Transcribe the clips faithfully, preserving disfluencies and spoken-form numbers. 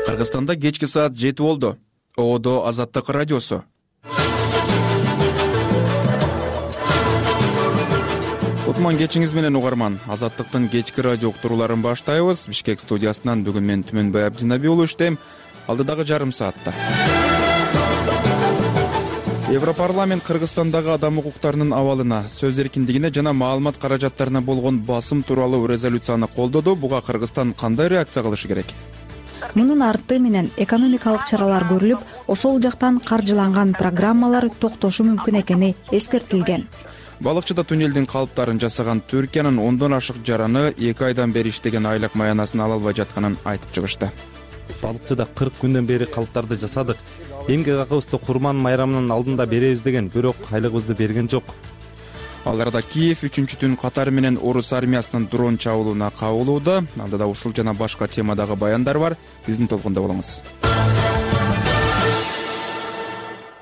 Кыргызстанда кечки саат жети болду. Оодо Азаттык радиосу. Кутман кечиңиз менен угарман. Азаттыктын кечки радио уктурууларын баштайбыз. Бишкек студиясынан бүгүн мен Түмөнбай Абдинаби уулу иштейм. Алдыдагы жарым саатта Европарламент Кыргызстандагы адам укуктарынын абалына, сөз эркиндигине жана маалымат каражаттарына болгон басым тууралуу резолюцияны колдоду. Буга Кыргызстан кандай реакция кылышы керек? Мунун арты менен экономикалык чаралар көрүлүп, ошол жактан каржыланган программалар токтошу мүмкүн экени эскертилген. Балыкчыда туннелдин калыптарын жасаган Түркиянын ондон ашык жараны эки айдан бери иштеген айлык маянасын ала албай жатканын айтып чыгышты. Балыкчыда кырк күндөн бери калыптарды жасадык. Эмгек акыбызды Курман майрамынын алдында беребиз деген, бирок айлыгыбызды берген жок. Ал арада Киев үчүнчү түн катары менен орус армиясынын дрон чабуулуна кабылууда. Алдыда ушул жана башка темадагы баяндар бар. Биздин толкунда болуңуз.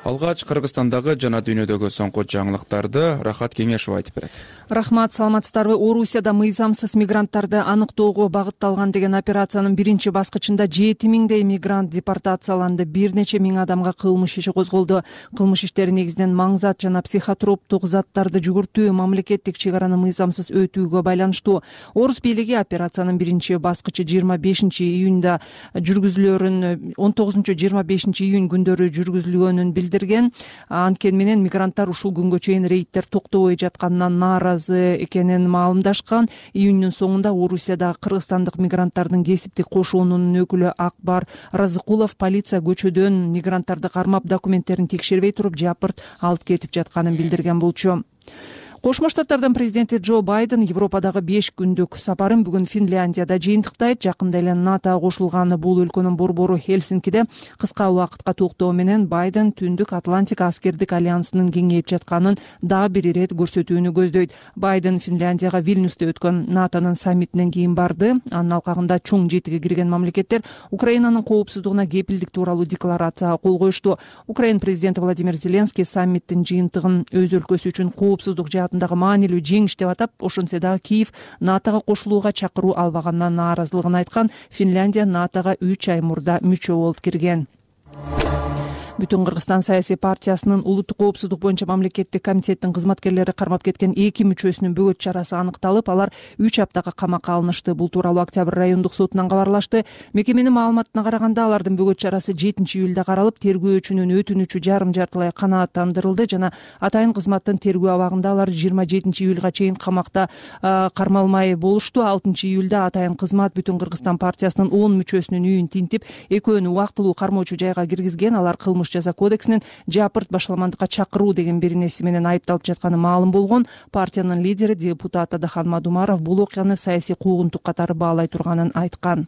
Алгач Кыргызстандагы жана дүйнөдөгү соңку жаңылыктарды Рахат Кеңешов айтып берет. Рахмат, саламатсыздарбы? Орусияда мыйзамсыз мигранттарды аныктоого багытталган деген операциянын биринчи баскычында жети миңдей мигрант депортацияланды. Бир нече миң адамга кылмыш иши козголду. Кылмыш иштери негизинен маңзат жана психотроптук заттарды жүгүртүү, мамлекеттик чек араны мыйзамсыз өтүүгө байланыштуу. Орус бийлиги операциянын биринчи баскычы жыйырма бешинчи июнда жүргүзүлөрүн, он тогузунчу жыйырма бешинчи июнь күндөрү жүргүзүлгөнүн билдирген. Анткени менен мигранттар ушул күнгө чейин рейдтер токтобой жатканынан нааразы экенин маалымдашкан. Июньнун соңунда Орусиядагы кыргызстандык мигранттардын кесиптик кошуунунун өкүлү Акбар Разыкулов полиция көчөдөн мигранттарды кармап документтерин текшербей туруп жапырт алып кетип жатканын билдирген болчу. Кошмо Штаттардын президенти Джо Байден Европадагы беш күндүк сапарын бүгүн Финляндияда жыйынтыктайт. Жакында эле НАТОго кошулган бул өлкөнүн борбору Хельсинкиде кыска убакытка токтоо менен Байден Түндүк Атлантика аскердик альянсынын кеңейип жатканын дагы бир ирет көрсөтүүнү көздөйт. Байден Финляндияга Вильнюсте өткөн НАТОнун саммитинен кийин барды. Анын алкагында чоң жетиге кирген мамлекеттер Украинанын коопсуздугуна кепилдик тууралуу декларацияга кол коюшту. Украин президенти Владимир Зеленский саммиттин жыйынтыгын өз өлкөсү үчүн коопсуздук жаатындагы маанилүү жеңиш деп атап, ошентсе дагы Киев НАТОго кошулууга чакыруу албагандан нааразылыгын айткан. Финляндия НАТОго үч ай мурда мүчө болуп кирген. Бүтүн Кыргызстан саясий партиясынын улуттук коопсуздук боюнча мамлекеттик комитеттин кызматкерлери кармап кеткен эки мүчөсүнүн бөгөт чарасы аныкталып, алар үч аптага камакка алынышты. Бул тууралуу Октябрь райондук сотунан кабарлашты. Мекеменин маалыматына караганда, алардын бөгөт чарасы жетинчи июлда каралып, тергөөчүнүн өтүнүчү жарым жартылай канааттандырылды жана атайын кызматтын тергөө абагында алар жыйырма жетинчи июлга чейин камакта кармалмай болушту. алтынчы июлда атайын кызмат Бүтүн Кыргызстан партиясынын он мүчөсүнүн үйүн тинтип, экөөнү убактылуу кармоочу жайга киргизген. Алар кылмыш жаза кодексинин жапырт башаламандыкка чакыруу деген беренеси менен айыпталып жатканы маалым болгон. Партиянын лидери депутат Адахан Мадумаров бул окуяны саясий куугунтук катары баалай турганын айткан.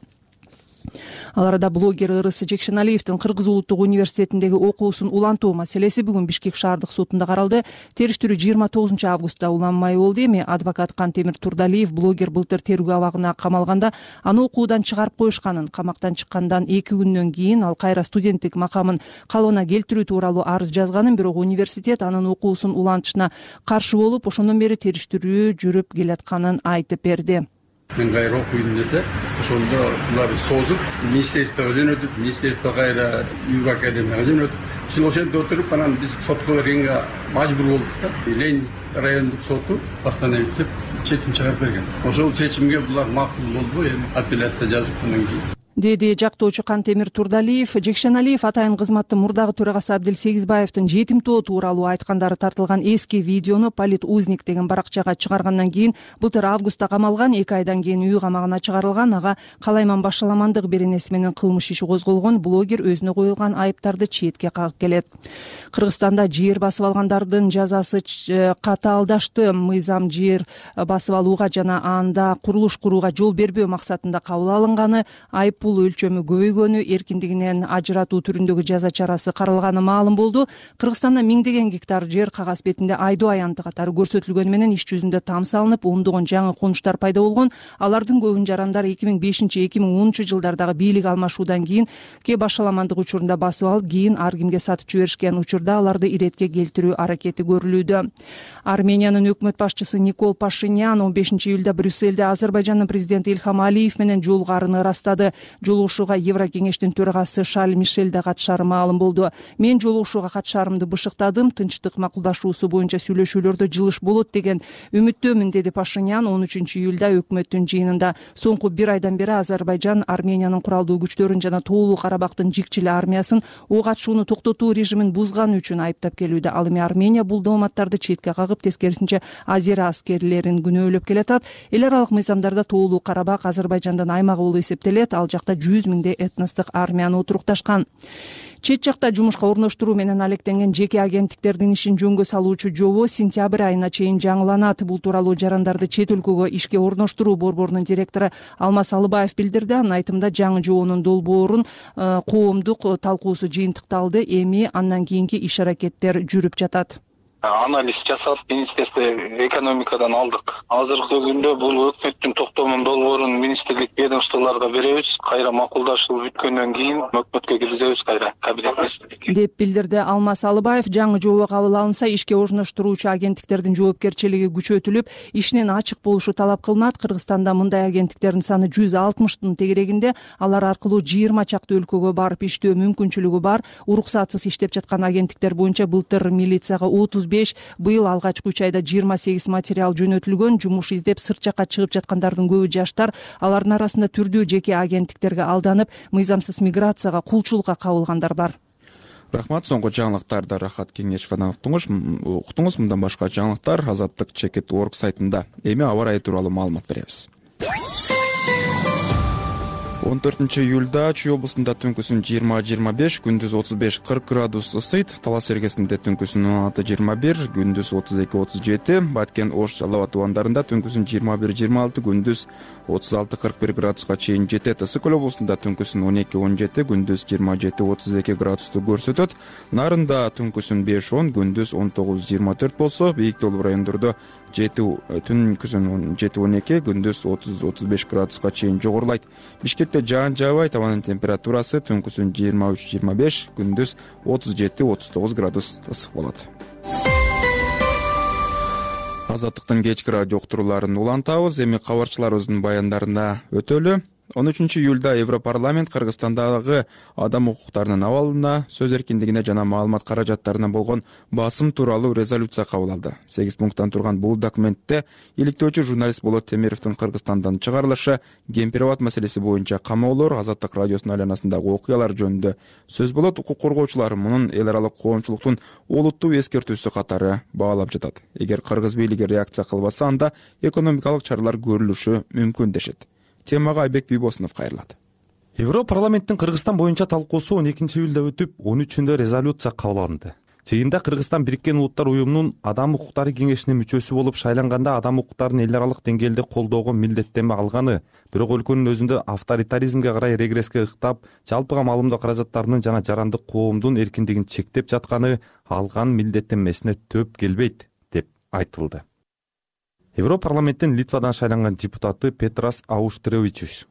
Ал арада блогер Ырыс Жекшеналиевдин Кыргыз улуттук университетиндеги окуусун улантуу маселеси бүгүн Бишкек шаардык сотунда каралды. Териштирүү жыйырма тогузунчу августта уланмай болду. Эми адвокат Кантемир Турдалиев блогер былтыр тергөө абагына камалганда аны окуудан чыгарып коюшканын, камактан чыккандан эки күндөн кийин ал кайра студенттик макамын калыбына келтирүү тууралуу арыз жазганын, бирок университет анын окуусун улантышына каршы болуп, ошондон бери териштирүү жүрүп келатканын айтып берди. Мен кайра окуйм десе, ошондо булар созуп, министрликтеге өтүп, министрликте кайра ЮГ академияга өтүп, ошол ошентип отуруп, анан биз сотко бергенге мажбур болдук да. Ленин райондук соту постановить чечим чыгарып берген. Ошол чечимге булар макул болду, эми апелляция жазып андан кийин деди жактоочу Кантемир Турдалиев. Жекшеналиев атайын кызматтын мурдагы төрагасы Абдил Сегизбаевдин жетимтоо тууралуу айткандары тартылган эски видеону Полит Узник деген баракчага чыгаргандан кийин былтыр августта камалган, эки айдан кийин үй камагына чыгарылган. Ага калайман башаламандык беренеси менен кылмыш иши козголгон. Блогер өзүнө коюлган айыптарды четке кагып келет. Кыргызстанда жер басып алгандардын жазасы катаалдашты. Мыйзам жер басып алууга жана анда курулуш курууга жол бербөө максатында кабыл алынганы, айып бул өлчөмү көбөйгөнү, эркиндигинен ажыратуу түрүндөгү жаза чарасы каралганы маалым болду. Кыргызстанда миңдеген гектар жер кагаз бетинде айдоо аянты катары көрсөтүлгөнү менен иш жүзүндө там салынып, ондогон жаңы конуштар пайда болгон. Алардын көбүн жарандар эки миң бешинчи эки миң онунчу жылдардагы бийлик алмашуудан кийин ке башаламандык учурунда басып алып, кийин ар кимге сатып жиберишкен. Учурда аларды иретке келтирүү аракети көрүлүүдө. Армениянын өкмөт башчысы Никол Пашинян он бешинчи июлда Брюссельде Азербайжандын президенти Ильхам Алиев менен жолугарын ырастады. Жолугушууга Еврокеңештин төрагасы Шарль Мишель да катышары маалым болду. Мен жолугушууга катышарымды бышыктадым, тынчтык макулдашуусу боюнча сүйлөшүүлөрдө жылыш болот деген үмүттөмүн, деди Пашинян он үчүнчү июлда өкмөттүн жыйынында. Соңку бир айдан бери Азербайжан Армениянын куралдуу күчтөрүн жана Тоолуу Карабактын жикчил армиясын ок атышууну токтотуу режимин бузганы үчүн айыптап келүүдө. Ал эми Армения бул дооматтарды четке кагып, тескерисинче Азера аскерлерин күнөөлөп келатат. Эл аралык мыйзамдарда Тоолуу Карабак Азербайжандын аймагы болуп эсептелет. Ал жакта жүз миңдей этностук армияны отурукташкан. Чет жакта жумушка орноштуруу менен алектенген жеке агенттиктердин ишин жөнгө салуучу жобо сентябрь айына чейин жаңыланат. Бул тууралуу жарандарды чет өлкөгө ишке орноштуруу борборунун директору Алмаз Алыбаев билдирди. Анын айтымында жаңы жобонун долбоорун коомдук талкуусу жыйынтыкталды. Эми андан кийинки иш аракеттер жүрүп жатат. Анализ жасап, Министерство экономикадан алдык. Азыркы күндө бул өкмөттүн токтомун долбоорун министрлик ведомстволорго беребиз. Кайра макулдашуу бүткөндөн кийин өкмөткө киргизебиз кайра кабинет министрликке, деп билдирди Алмаз Алыбаев. Жаңы жобо кабыл алынса, ишке орноштуруучу агенттиктердин жоопкерчилиги күчөтүлүп, ишинин ачык болушу талап кылынат. Кыргызстанда мындай агенттиктердин саны жүз алтымыштын тегерегинде. Алар аркылуу жыйырма чакты өлкөгө барып иштөө мүмкүнчүлүгү бар. Уруксатсыз иштеп жаткан агенттиктер боюнча былтыр милицияга отуз беш, быйыл алгачкы үч айда жыйырма сегиз материал жөнөтүлгөн. Жумуш издеп сырт жакка чыгып жаткандардын көбү жаштар. Алардын арасында түрдүү жеке агенттиктерге алданып, мыйзамсыз миграцияга, кулчулукка кабылгандар бар. Рахмат. Соңку жаңылыктарды Рахат Кеңешовадан уктуңуз. Уктуңуз. Мындан башка жаңылыктар азаттык чекит точка орг сайтында. Эми аба ырайы тууралуу маалымат беребиз. он төртүнчү июлда Чүй облусунда түнкүсүн жыйырма жыйырма беш, күндүз отуз беш кырк градус ысыйт. Талас эргесинде түнкүсүн он алты жыйырма бир, күндүз отуз эки отуз жети. Баткен, Ош, Жалал Абад тубандарында түнкүсүн жыйырма бир жыйырма алты, күндүз отуз алты кырк бир градуска чейин жетет. Ысык Көл облусунда түнкүсүн он эки он жети, күндүз жыйырма жети отуз эки градусту көрсөтөт. Нарында түнкүсүн беш он, күндүз он тогуз жыйырма төрт болсо, бийик тоолуу райондордо жети түнкүсүн жети он эки, күндүз отуз отуз беш градуска чейин жогорулайт. Бишкекте жаан жаабайт. Табанын температурасы түнкүсүн жыйырма үч жыйырма беш, күндүз отуз жети отуз тогуз градус ысык болот. Азаттыктын кечки радио уктурууларын улантабыз. Эми кабарчыларыбыздын баяндарына өтөлү. он үчүнчү июлда Европарламент Кыргызстандагы адам укуктарынын абалына, сөз эркиндигине жана маалымат каражаттарына болгон басым тууралуу резолюция кабыл алды. сегиз пункттан турган бул документте иликтөөчү журналист Болот Темировдун Кыргызстандан чыгарылышы, Кемпир-Абад маселеси боюнча камоолор, Азаттык радиосунун айланасындагы окуялар жөнүндө сөз болот. Укук коргоочулар мунун эл аралык коомчулуктун олуттуу эскертүүсү катары баалап жатат. Эгер кыргыз бийлиги реакция кылбаса, анда экономикалык чаралар көрүлүшү мүмкүн дешет. Темага Айбек Бийбосунов кайрылат. Европарламенттин Кыргызстан боюнча талкуусу он экинчи июлда өтүп, он үчүндө резолюция кабыл алынды. Жыйында Кыргызстан Бириккен Улуттар уюмунун Адам укуктары кеңешинин мүчөсү болуп шайланганда адам укуктарын эл аралык деңгээлде колдоого милдеттенме алганы, бирок өлкөнүн өзүндө авторитаризмге карай регресске ыктап, жалпыга маалымдоо каражаттарынын жана жарандык коомдун эркиндигин чектеп жатканы алган милдеттенмесине төп келбейт деп айтылды. Европарламенттин Литвадан шайланган депутаты Петрас Ауштревичус: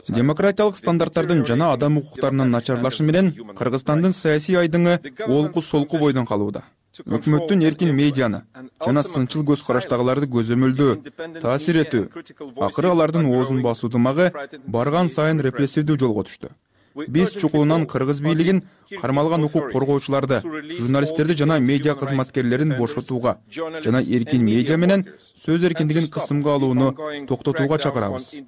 демократиялык стандарттардын жана адам укуктарынын начарлашы менен Кыргызстандын саясий айдыңы олку-солку бойдон калууда. Өкмөттүн эркин медианы жана сынчыл көз караштагыларды көзөмөлдөө, таасир этүү, акыры алардын оозун басуу дымагы барган сайын репрессивдүү жолго түштү. Биз чукулунан кыргыз бийлигин кармалган укук коргоочуларды, журналисттерди жана медиа кызматкерлерин бошотууга жана эркин медиа менен сөз эркиндигин кысымга алууну токтотууга чакырабыз.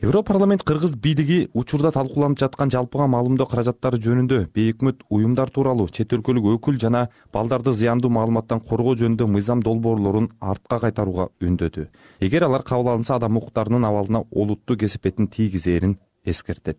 Европарламент кыргыз бийлиги учурда талкууланып жаткан жалпыга маалымдоо каражаттары жөнүндө бейөкмөт уюмдар тууралуу чет өлкөлүк өкүл жана балдарды зыяндуу маалыматтан коргоо жөнүндө мыйзам долбоорлорун артка кайтарууга үндөдү. Эгер алар кабыл алынса, адам укуктарынын абалына олуттуу кесепетин тийгизээрин эскертет.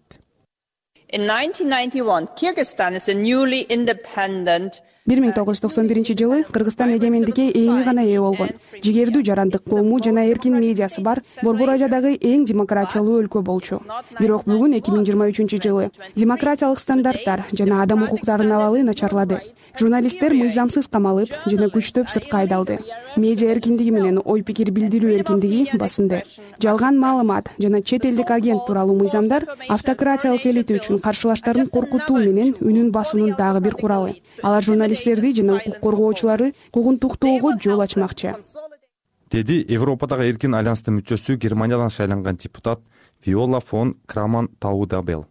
бир миң тогуз жүз токсон биринчи жылы Кыргызстан эгемендикке эми гана ээ болгон, жигердүү жарандык коому жана эркин медиасы бар Борбор Азиядагы эң демократиялуу өлкө болчу. Бирок бүгүн эки миң жыйырма үчүнчү жылы демократиялык стандарттар жана адам укуктарынын абалы начарлады. Журналисттер мыйзамсыз камалып жана күчтөп сыртка айдалды. Медиа эркиндиги менен ой пикир билдирүү эркиндиги басынды. Жалган маалымат жана чет элдик агент тууралуу мыйзамдар автократиялык элита үчүн каршылаштарын коркутуу менен үнүн басуунун дагы бир куралы. Алар журналисттерди жана укук коргоочуларды куугунтуктоого жол ачмакчы. деди Европадагы эркин альянстын мүчөсү Германиядан шайланган депутат Виола фон Краман Таудабел.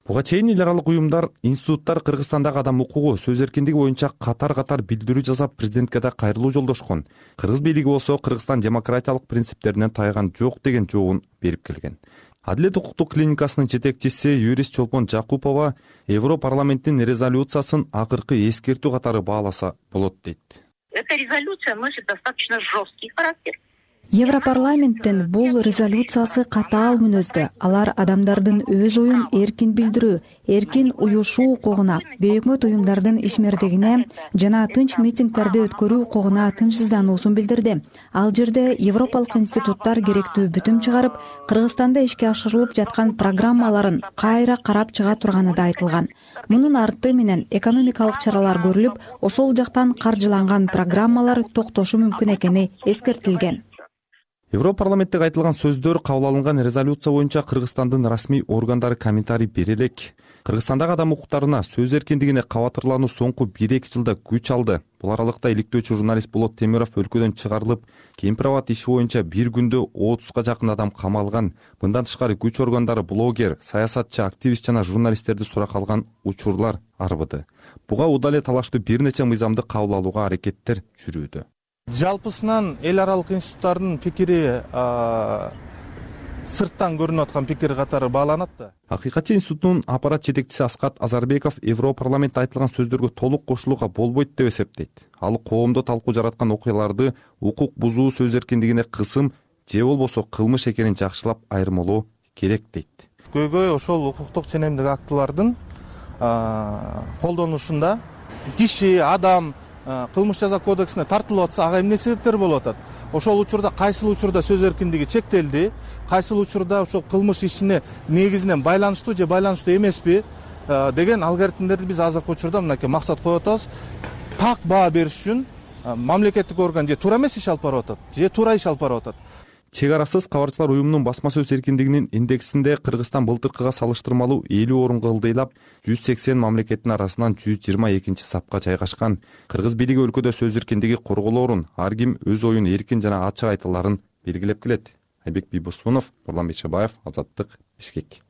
Буга чейин эл аралык уюмдар, институттар Кыргызстандагы адам укугу, сөз эркиндиги боюнча катар-катар билдирүү жасап, президентке да кайрылуу жолдошкон. Кыргыз бийлиги болсо Кыргызстан демократиялык принциптеринен тайган жок деген жообун берип келген. Адилет укуктук клиникасынын жетекчиси юрист Чолпон Жакупова Европарламенттин резолюциясын акыркы эскертүү катары бааласа болот дейт. Эта резолюция носит достаточно жесткий характер. Европарламенттин бул резолюциясы катаал мүнөздө. Алар адамдардын өз оюн эркин билдирүү, эркин уюшуу укугуна, бейөкмөт уюмдардын ишмердигине жана тынч митингдерди өткөрүү укугуна тынчсыздануусун билдирди. Ал жерде европалык институттар керектүү бүтүм чыгарып, Кыргызстанда ишке ашырылып жаткан программаларын кайра карап чыга турганы да айтылган. Мунун арты менен экономикалык чаралар көрүлүп, ошол жактан каржыланган программалар токтошу мүмкүн экени эскертилген. Европарламенттеги айтылган сөздөр, кабыл алынган резолюция боюнча Кыргызстандын расмий органдары комментарий бере элек. Кыргызстандагы адам укуктарына, сөз эркиндигине кабатырлануу соңку бир эки жылда күч алды. Бул аралыкта иликтөөчү журналист Болот Темиров өлкөдөн чыгарылып, кемпир-абад иши боюнча бир күндө отузга жакын адам камалган. Мындан тышкары күч органдары блогер, саясатчы, активист жана журналисттерди суракка алган учурлар арбыды. Буга удал эле талаштуу бир нече мыйзамды кабыл алууга аракеттер жүрүүдө. Жалпысынан эл аралык институттардын пикири сырттан көрүнүп аткан пикир катары бааланат да. Акыйкатчы институтунун аппарат жетекчиси Аскат Азарбеков Европарламентте айтылган сөздөргө толук кошулууга болбойт деп эсептейт. Ал коомдо талкуу жараткан окуяларды укук бузуу, сөз эркиндигине кысым же болбосо кылмыш экенин жакшылап айырмалоо керек дейт. Көйгөй ошол укуктук ченемдик актылардын колдонушунда киши, адам кылмыш жаза кодексине тартылып атса, ага эмне себептер болуп атат? Ошол учурда кайсыл учурда сөз эркиндиги чектелди, кайсыл учурда ошол кылмыш ишине негизинен байланыштуу же байланыштуу эмеспи деген алгоритмдерди биз азыркы учурда мынакей максат коюп атабыз. Так баа бериш үчүн мамлекеттик орган же туура эмес иш алып барып атат, же туура иш алып барып атат. Чек арасыз кабарчылар уюмунун басма сөз эркиндигинин индексинде Кыргызстан былтыркыга салыштырмалуу элүү орунга ылдыйлап, жүз сексен мамлекеттин арасынан жүз жыйырма экинчи сапка жайгашкан. Кыргыз бийлиги өлкөдө сөз эркиндиги корголоорун, ар ким өз оюн эркин жана ачык айта аларын белгилеп келет. Айбек Бийбосунов, Нурлан Бейшебаев, Азаттык, Бишкек.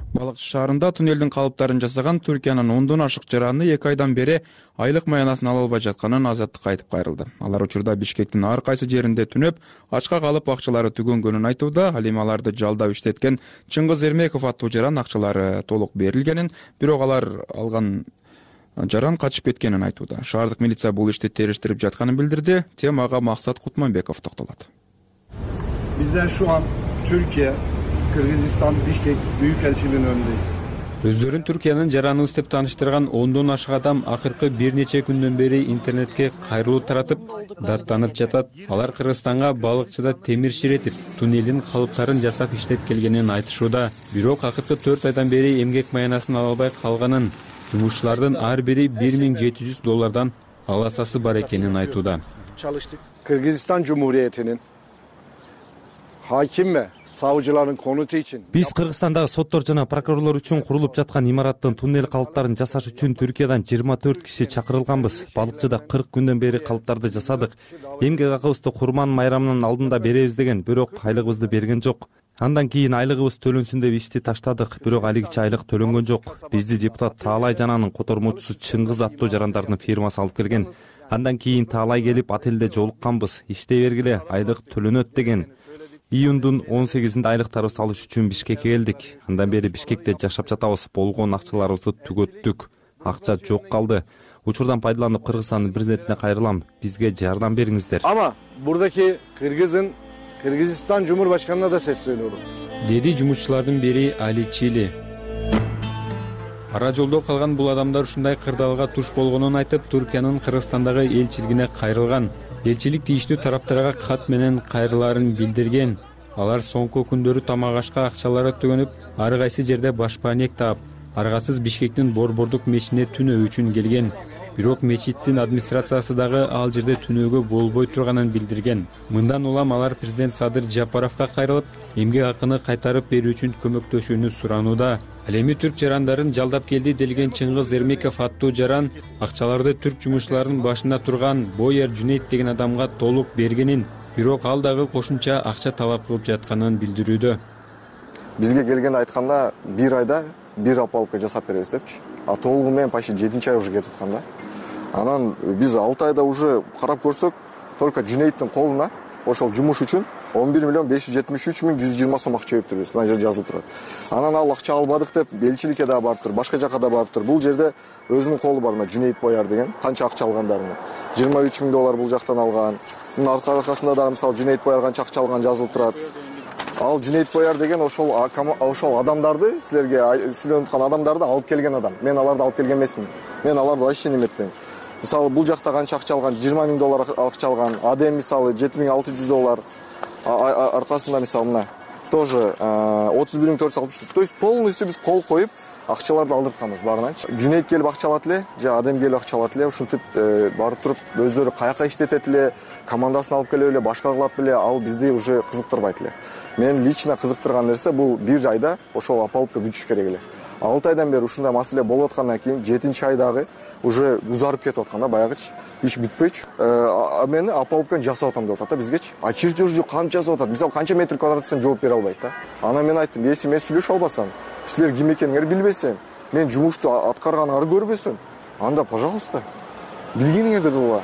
Балыкчы шаарында туннелдин калыптарын жасаган Түркиянын ондон ашык жараны эки айдан бери айлык маянасын ала албай жатканын Азаттыкка айтып кайрылды. Алар учурда Бишкектин ар кайсы жеринде түнөп, ачка калып акчалары түгөнгөнүн айтууда. Ал эми аларды жалдап иштеткен Чыңгыз Эрмеков аттуу жаран акчалары толук берилгенин, бирок алар алган жаран качып кеткенин айтууда. Шаардык милиция бул ишти териштирип жатканын билдирди. Темага Максат Кутманбеков токтолот. Bizler şu an Türkiye, Kırgızistan, Bişkek Büyükelçiliğinin önündeyiz. Өздөрүн Түркиянын жараныбыз деп тааныштырган ондон ашык адам акыркы бир нече күндөн бери интернетке кайрылуу таратып, даттанып жатат. Алар Кыргызстанга балыкчыда темир ширетип, туннелдин калыптарын жасап иштеп келгенин айтышууда. Бирок акыркы төрт айдан бери эмгек маянасын ала албай калганын, жумушчулардын ар бири бир миң жети жүз доллардан аласасы бар экенин айтууда. Kırgızistan Cumhuriyeti'nin hakim ve savcıların konutu için Биз Кыргызстандагы соттор жана прокурорлор үчүн курулуп жаткан имараттын туннель калыптарын жасаш үчүн Түркиядан жыйырма төрт киши чакырылганбыз. Балыкчыда кырк күндөн бери калыптарды жасадык. Эмгек акыбызды Курман майрамынын алдында беребиз деген, бирок айлыгыбызды берген жок. Андан кийин айлыгыбыз төлөнсүн деп ишти таштадык, бирок алигиче айлык төлөнгөн жок. Бизди депутат Таалай жананын котормочусу Чыңгыз аттуу жарандардын фирмасы алып келген. Андан кийин Таалай келип отелде жолукканбыз. Иштей бергиле, айлык төлөнөт деген. Июндун он сегизинде айлыктарыбызды алыш үчүн Бишкекке келдик. Андан бери Бишкекте жашап жатабыз. Болгон акчаларыбызды түгөттүк. Акча жок калды. Учурдан пайдаланып Кыргызстандын президентине кайрылам. Бизге жардам бериңиздер. Ama buradaki Kırgız'ın Kırgızistan Cumhurbaşkanı'na da sesleniyorum. Деди жумушчулардын бири Али Чили. Ара жолдо калган бул адамдар ушундай кырдаалга туш болгонун айтып, Түркиянын Кыргызстандагы элчилигине кайрылган. Элчилик тийиштүү тараптарга кат менен кайрылаарын билдирген. Алар соңку күндөрү тамак ашка акчалары түгөнүп, ар кайсы жерде башпаанек таап, аргасыз Бишкектин Борбордук мечитине түнөө үчүн келген. Бирок мечиттин администрациясы дагы ал жерде түнөөгө болбой турганын билдирген. Мындан улам алар президент Садыр Жапаровго кайрылып, эмгек акыны кайтарып берүү үчүн көмөктөшүүнү суранууда. Ал эми түрк жарандарын жалдап келди делген Чыңгыз Эрмеков аттуу жаран акчаларды түрк жумушчуларынын башында турган Бояр Жүнейт деген адамга толук бергенин, бирок ал дагы кошумча акча талап кылып жатканын билдирүүдө. Бизге келгенде айтканда бир айда бир опалубка жасап беребиз депчи. А толугу менен почти жетинчи ай уже кетип аткан да. Анан биз алты айда уже карап көрсөк, только Жүнейттин колуна ошол жумуш үчүн он бир миллион беш жүз жетимиш үч миң жүз жыйырма сом акча бериптирбиз. Мына жерде жазылып турат. Анан ал акча албадык деп элчиликке да барыптыр, башка жака да барыптыр. Бул жерде өзүнүн колу бар, мына Жүнейт Бояр деген, канча акча алгандарына. жыйырма үч миң доллар бул жактан алган. Мына аркасында дагы мисалы Жүнейт Бояр канча акча алган жазылып турат. Ал Жүнейт Бояр деген ошол ошол адамдарды, силерге сүйлөнүп аткан адамдарды алып келген адам. Мен аларды алып келген эмесмин. Мен аларды вообще неметпейм. Мисалы бул жакта канча акча алган, жыйырма миң доллар акча алган, Адем мисалы жети миң алты жүз доллар, аркасында мисалы мына тоже отуз бир миң төрт жүз алтымыш. То есть полностью биз кол коюп акчаларды алдыртканбыз баарынанчы. Жүнейт келип акча алат эле, же Адем келип акча алат эле, ушинтип барып туруп өздөрү каяка иштетет эле, командасын алып келип эле, башка кылат беле, ал бизди уже кызыктырбайт эле. Мен лично кызыктырган нерсе бул бир айда ошол опалубка күтүш керек эле. алты айдан бери ушундай маселе болуп аткандан кийин жетинчи айдагы уже узарып кетип аткан да, баягычы. Иш бүтпөйчү. А мени опалубканы жасап атам деп атат да бизгечи. А чертежди канча жасап атат? Мисалы канча метр квадрат десем жооп бере албайт да. Анан мен айттым, если мен сүйлөшө албасам, силер ким экениңерди билбесем, мен жумушту аткарганыңарды көрбөсөм, анда пожалуйста, билгениңерди була.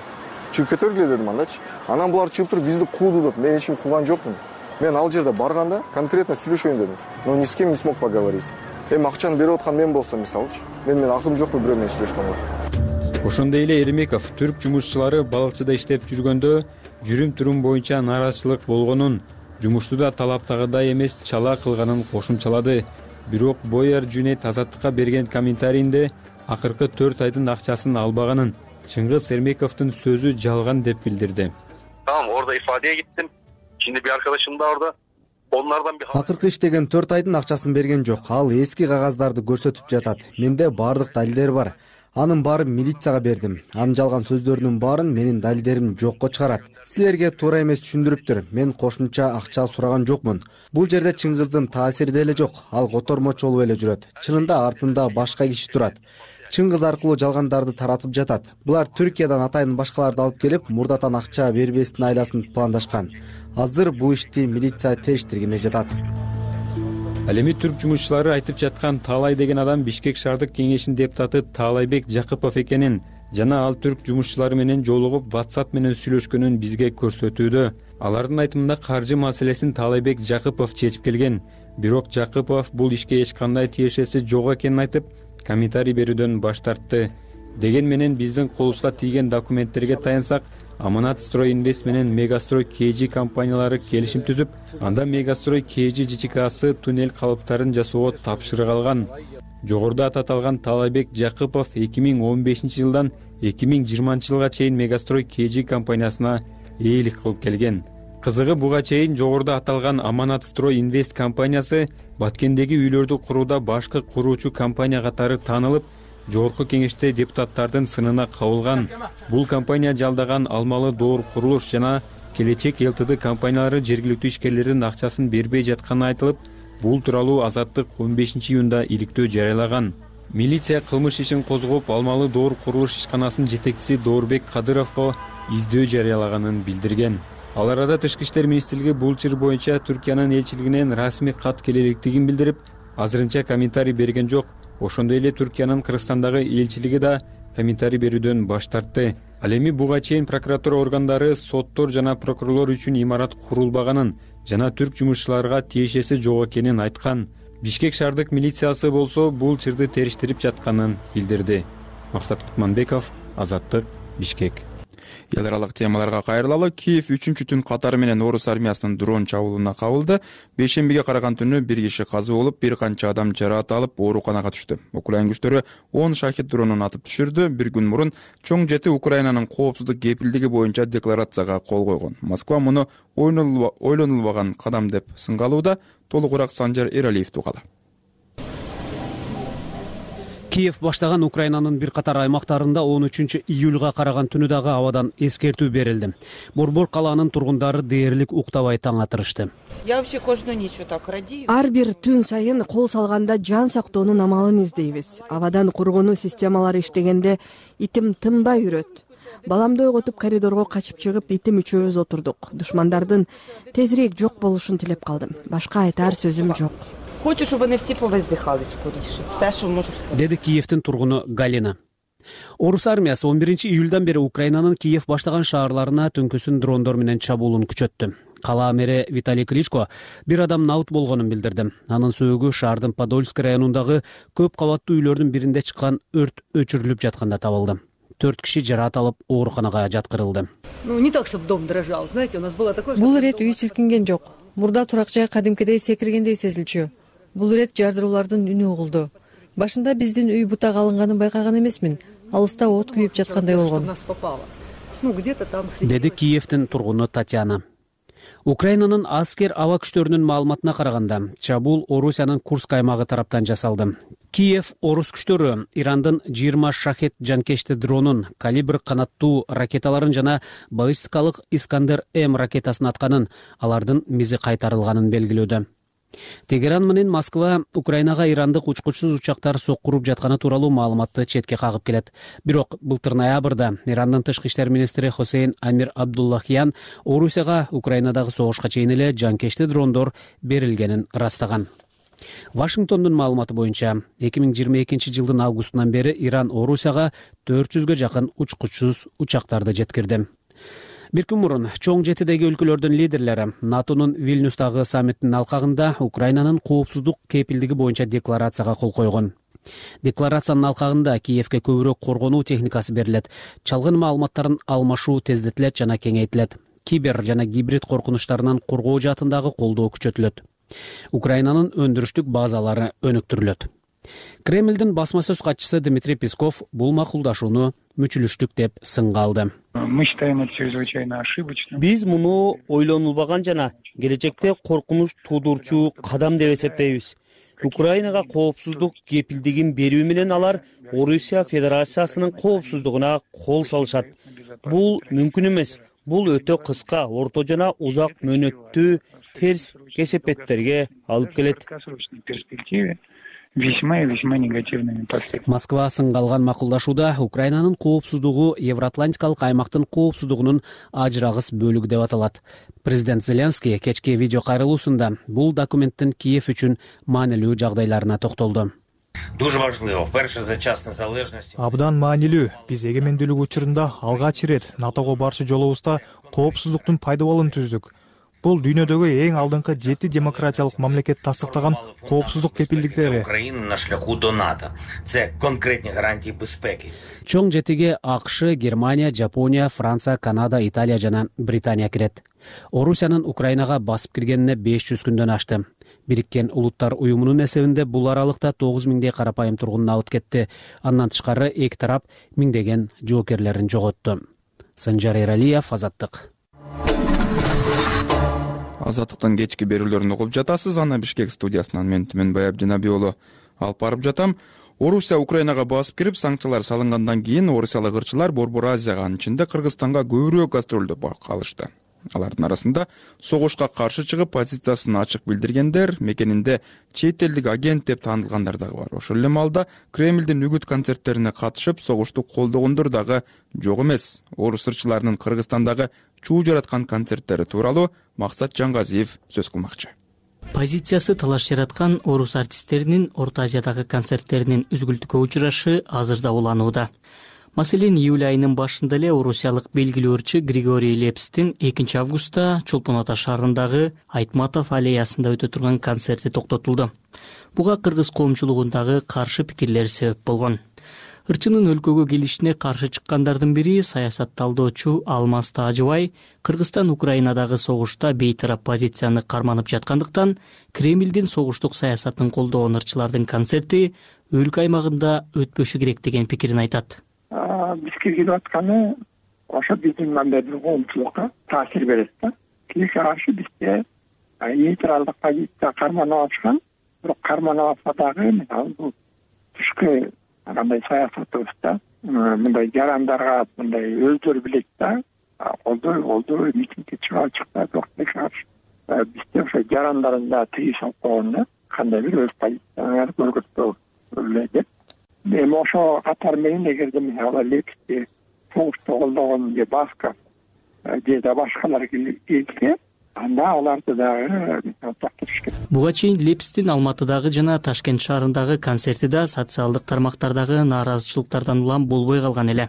Чыгып кетергиле дедим андачы. Анан булар чыгып туруп бизди кууду деп, мен эч ким кууган жокмун. Мен ал жерде барганда конкретно сүйлөшөйүн дедим. Но ни с кем не смог поговорить. Эми акчаны берип аткан мен болсом мисалычы, мен мен акым жокпу бирөө менен сүйлөшкөнгө. Ошондой эле Эрмеков түрк жумушчулары балыкчыда иштеп жүргөндө жүрүм-турум боюнча нааразычылык болгонун, жумушту да талаптагыдай эмес чала кылганын кошумчалады. Бирок Бояр Жүнейт Азаттыкка берген комментарийинде акыркы төрт айдын акчасын албаганын, Чыңгыз Эрмековдун сөзү жалган деп билдирди. Tamam, orada ifadeye gittim. Şimdi bir arkadaşım da orada. Onlardan bir Акыркы иштеген төрт айдын акчасын берген жок. Ал эски кагаздарды көрсөтүп жатат. Менде баардык далилдер бар. Анын баарын милицияга бердим. Анын жалган сөздөрүнүн баарын менин далилдерим жокко чыгарат. Силерге туура эмес түшүндүрүптүр. Мен кошумча акча сураган жокмун. Бул жерде Чыңгыздын таасири деле жок. Ал котормочу болуп эле жүрөт. Чынында артында башка киши турат. Чыңгыз аркылуу жалгандарды таратып жатат. Булар Түркиядан атайын башкаларды алып келип, мурдатан акча бербестин айласын пландашкан. Азыр бул ишти милиция териштиргене жатат. Ал эми түрк жумушчулары айтып жаткан Таалай деген адам Бишкек шаардык кеңешинин депутаты Таалайбек Жакыпов экенин жана ал түрк жумушчулары менен жолугуп WhatsApp менен сүйлөшкөнүн бизге көрсөтүүдө. Алардын айтымында каржы маселесин Таалайбек Жакыпов чечип келген. Бирок Жакыпов бул ишке эч кандай тиешеси жок экенин айтып, комментарий берүүдөн баш тартты. Деген менен биздин колубузга тийген документтерге таянсак, Аманат Строй Инвест менен Мегастрой кей джи компаниялары келишим түзүп, анда Мегастрой кей джи ЖЧКсы туннель калыптарын жасоого тапшырык алган. Жогоруда аталган Таалайбек Жакыпов эки миң он бешинчи жылдан эки миң жыйырманчы жылга чейин Мегастрой кей джи компаниясына ээлик кылып келген. Кызыгы буга чейин жогоруда аталган Аманат Строй Инвест компаниясы Баткендеги үйлөрдү курууда башкы куруучу компания катары таанылып, Жогорку кеңеште депутаттардын сынына кабылган. Бул компания жалдаган Алмалы Доор курулуш жана Келечек Лтд компаниялары жергиликтүү ишкерлердин акчасын бербей жатканы айтылып, бул тууралуу Азаттык он бешинчи июнда иликтөө жарыялаган. Милиция кылмыш ишин козгоп, Алмалы Доор курулуш ишканасынын жетекчиси Доорбек Кадыровго издөө жарыялаганын билдирген. Ал арада Тышкы иштер министрлиги бул чыр боюнча Түркиянын элчилигинен расмий кат келелектигин билдирип, азырынча комментарий берген жок. Ошондой эле Түркиянын Кыргызстандагы элчилиги да комментарий берүүдөн баш тартты. Ал эми буга чейин прокуратура органдары соттор жана прокурорлор үчүн имарат курулбаганын жана түрк жумушчуларга тиешеси жок экенин айткан. Бишкек шаардык милициясы болсо бул чырды териштирип жатканын билдирди. Максат Кутманбеков, Азаттык, Бишкек. Эл аралык темаларга кайрылалы. Киев үчүнчү түн катары менен орус армиясынын дрон чабуулуна кабылды. Бейшембиге караган түнү бир киши каза болуп, бир канча адам жараат алып, ооруканага түштү. Украин күчтөрү он шахид дронун атып түшүрдү. Бир күн мурун чоң жети Украинанын коопсуздук кепилдиги боюнча декларацияга кол койгон. Москва муну ойлонулбаган кадам деп сынгалууда. Толугураак Санжар Эралиев тугала. Киев баштаган Украинанын бир катар аймактарында он үчүнчү июлга караган түнү дагы абадан эскертүү берилди. Борбор калаанын тургундары дээрлик уктабай таң атырышты. Ар бир түн сайын кол салганда жан сактоонун амалын издейбиз. Абадан коргонуу системалары иштегенде итим тынбай үрөт. Баламды ойготуп коридорго качып чыгып, итим үчөөбүз отурдук. Душмандардын тезирээк жок болушун тилеп калдым. Башка айтар сөзүм жок. Хочу, чтобы они все повоздыхались скорейше. Все, что может сказать. Деди Киевдин тургуну Галина. Орус армиясы он биринчи июлдан бери Украинанын Киев баштаган шаарларына түнкүсүн дрондор менен чабуулун күчөттү. Кала мэри Виталий Кличко бир адам наут болгонун билдирди. Анын сөөгү шаардын Подольск районундагы көп кабаттуу үйлөрдүн биринде чыккан өрт өчүрүлүп жатканда табылды. Төрт киши жараат алып ооруканага жаткырылды. Ну, не так, чтобы дом дрожал. Знаете, у нас было такое... Бул ирет үй силкинген жок. Мурда турак жай кадимкидей секиргендей сезилчү. Бул ирет жардыруулардын үнү угулду. Башында биздин үй бутак алынганын байкаган эмесмин. Алыста от күйүп жаткандай болгон. Деди Киевдин тургуну Татьяна. Украинанын аскер аба күчтөрүнүн маалыматына караганда, чабуул Орусиянын Курск аймагы тараптан жасалды. Киев орус күчтөрү Ирандын жыйырма шахет жанкечти дронун, калибр канаттуу ракеталарын жана баллистикалык Искандер М ракетасын атканын, алардын мизи кайтарылганын белгилөөдө. Тегеран менен Москва Украинага ирандык учкучсуз учактар соккуруп жатканы тууралуу маалыматты четке кагып келет. Бирок былтыр ноябрда Ирандын тышкы иштер министри Хосейн Амир Абдуллахиян Орусияга Украинадагы согушка чейин эле жанкечти дрондор берилгенин ырастаган. Вашингтондун маалыматы боюнча эки миң жыйырма экинчи жылдын августунан бери Иран Орусияга төрт жүзгө жакын учкучсуз учактарды жеткирди. Бир күн мурун чоң жетидеги өлкөлөрдүн лидерлери НАТОнун Вильнюстагы саммитинин алкагында Украинанын коопсуздук кепилдиги боюнча декларацияга кол койгон. Декларациянын алкагында Киевке көбүрөөк коргонуу техникасы берилет, чалгын маалыматтарын алмашуу тездетилет жана кеңейтилет. Кибер жана гибрид коркунучтарынан коргоо жаатындагы колдоо күчөтүлөт. Украинанын өндүрүштүк базалары өнүктүрүлөт. Кремлдин басма сөз катчысы Дмитрий Песков бул макулдашууну мүчүлүштүк деп сынга алды. Биз муну ойлонулбаган жана келечекте коркунуч туудурчу кадам деп эсептейбиз. Украинага коопсуздук кепилдигин берүү менен алар Орусия Федерациясынын коопсуздугуна кол салышат. Бул мүмкүн эмес. Бул өтө кыска, орто жана узак мөөнөттүү терс кесепеттерге алып келет. Весьма и весьма негативными последствиями. Москва сынга алган макулдашууда Украинанын коопсуздугу Евроатлантикалык аймактын коопсуздугунун ажырагыс бөлүгү деп аталат. Президент Зеленский кечки видео кайрылуусунда бул документтин Киев үчүн маанилүү жагдайларына токтолду. Абдан маанилүү. Биз эгемендүүлүк учурунда алгач ирет НАТОго барчу жолубузда коопсуздуктун пайда болуун түздүк. Бул дүйнөдөгү эң алдыңкы жети демократиялык мамлекет тастыктаган коопсуздук кепилдиктери. Чоң жетиге АКШ, Германия, Жапония, Франция, Канада, Италия жана Британия кирет. Орусиянын Украинага басып киргенине беш жүз күндөн ашты. Бириккен Улуттар уюмунун эсебинде бул аралыкта тогуз миңдей карапайым тургун абыт кетти. Андан тышкары эки тарап миңдеген жоокерлерин жоготту. Санжар Эралиев, Азаттык. Азаттыктын кечки берүүлөрүн угуп жатасыз. Ана Бишкек студиясынан мен Түмөнбай Абдинабий уулу алып барып жатам. Орусия Украинага басып кирип, санкциялар салынгандан кийин орусиялык ырчылар Борбор Азияга, анын ичинде Кыргызстанга көбүрөөк гастролдоп калышты. Алардын арасында согушка каршы чыгып позициясын ачык билдиргендер, мекенинде чет элдик агент деп таанылгандар дагы бар. Ошол эле маалда Кремлдин үгүт концерттерине катышып, согушту колдогондор дагы жок эмес. Орус ырчыларынын Кыргызстандагы чуу жараткан концерттери тууралуу Максат Жангазиев сөз кылмакчы. Позициясы талаш жараткан орус артисттеринин Орто Азиядагы концерттеринин үзгүлтүккө учурашы азырда уланууда. Маселен, июль айынын башында эле орусиялык белгилүү ырчы Григорий Лепстин экинчи августта Чолпон Ата шаарындагы Айтматов аллеясында өтө турган концерти токтотулду. Буга кыргыз коомчулугундагы каршы пикирлер себеп болгон. Ырчынын өлкөгө келишине каршы чыккандардын бири саясатталдоочу Алмаз Таажыбай Кыргызстан Украинадагы согушта бейтарап позицияны карманып жаткандыктан Кремлдин согуштук саясатын колдогон ырчылардын концерти өлкө аймагында өтпөшү керек деген пикирин айтат. Биз киргизип атканы ошо биздин мындай бир коомчулукка таасир берет да. Тиге каршы бизде нейтралдык позиция карманып атышкан, бирок карманып атса дагы мисалы бул түшкү кандай саясатыбызда мындай жарандарга мындай өздөрү билет да, колдой колдой митингге чыга чыкпай токтой чыгарыш. Бизде ошо жарандарын да тыйыш алып койгон да, кандай бир өз позицияларды көргөзбөө эле деп. Эми ошо катар менен эгерде мисалы Лепсти согушта колдогон же Басков же да башкалар келсе, анда аларды дагы токтотуш керек. Буга чейин Лепстин Алматыдагы жана Ташкент шаарындагы концерти да социалдык тармактардагы нааразычылыктардан улам болбой калган эле.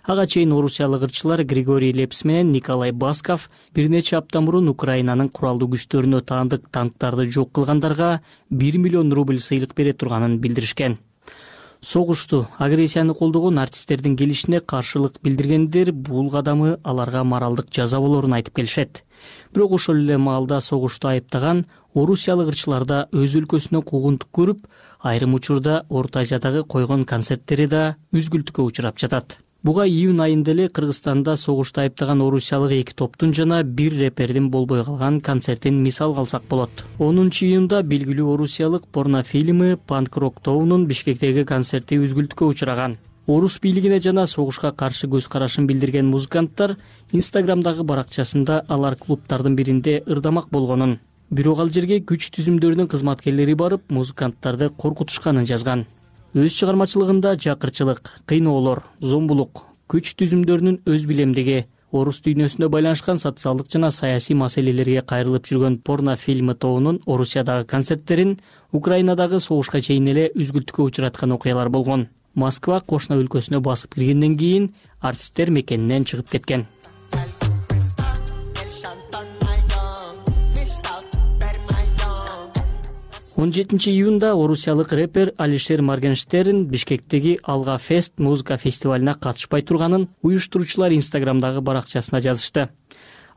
Ага чейин орусиялык ырчылар Григорий Лепс менен Николай Басков бир нече апта мурун Украинанын куралдуу күчтөрүнө таандык танктарды жок кылгандарга бир миллион рубль сыйлык бере турганын билдиришкен. Согушту, агрессияны колдогон артисттердин келишине каршылык билдиргендер бул кадамы аларга моралдык жаза болорун айтып келишет. Бирок ошол эле маалда согушту айыптаган орусиялык ырчыларда өз өлкөсүнө куугунтук көрүп, айрым учурда Орто Азиядагы койгон концерттери да үзгүлтүккө учурап жатат. Буга июнь айында эле Кыргызстанда согушту айыптаган орусиялык эки топтун жана бир репердин болбой калган концертин мисал кылсак болот. онунчу июнда белгилүү орусиялык порнофильмы Панк-рок тобунун Бишкектеги концерти үзгүлтүккө учураган. Орус бийлигине жана согушка каршы көз карашын билдирген музыканттар Инстаграмдагы баракчасында алар клубтардын биринде ырдамак болгонун, бирок ал жерге күч түзүмдөрүнүн кызматкерлери барып, музыканттарды коркутушканын жазган. Өз чыгармачылыгында жакырчылык, кыйноолор, зомбулук, күч түзүмдөрүнүн өз билемдиги, орус дүйнөсүнө байланышкан социалдык жана саясий маселелерге кайрылып жүргөн порнофильмы тобунун Орусиядагы концерттерин Украинадагы согушка чейин эле үзгүлтүккө учураткан окуялар болгон. Москва кошуна өлкөсүнө басып киргенден кийин артисттер мекенинен чыгып кеткен. он жетинчи июнда орусиялык рэпер Алишер Моргенштерн Бишкектеги Алга Фест музыка фестивалына катышпай турганын уюштуруучулар Инстаграмдагы баракчасына жазышты.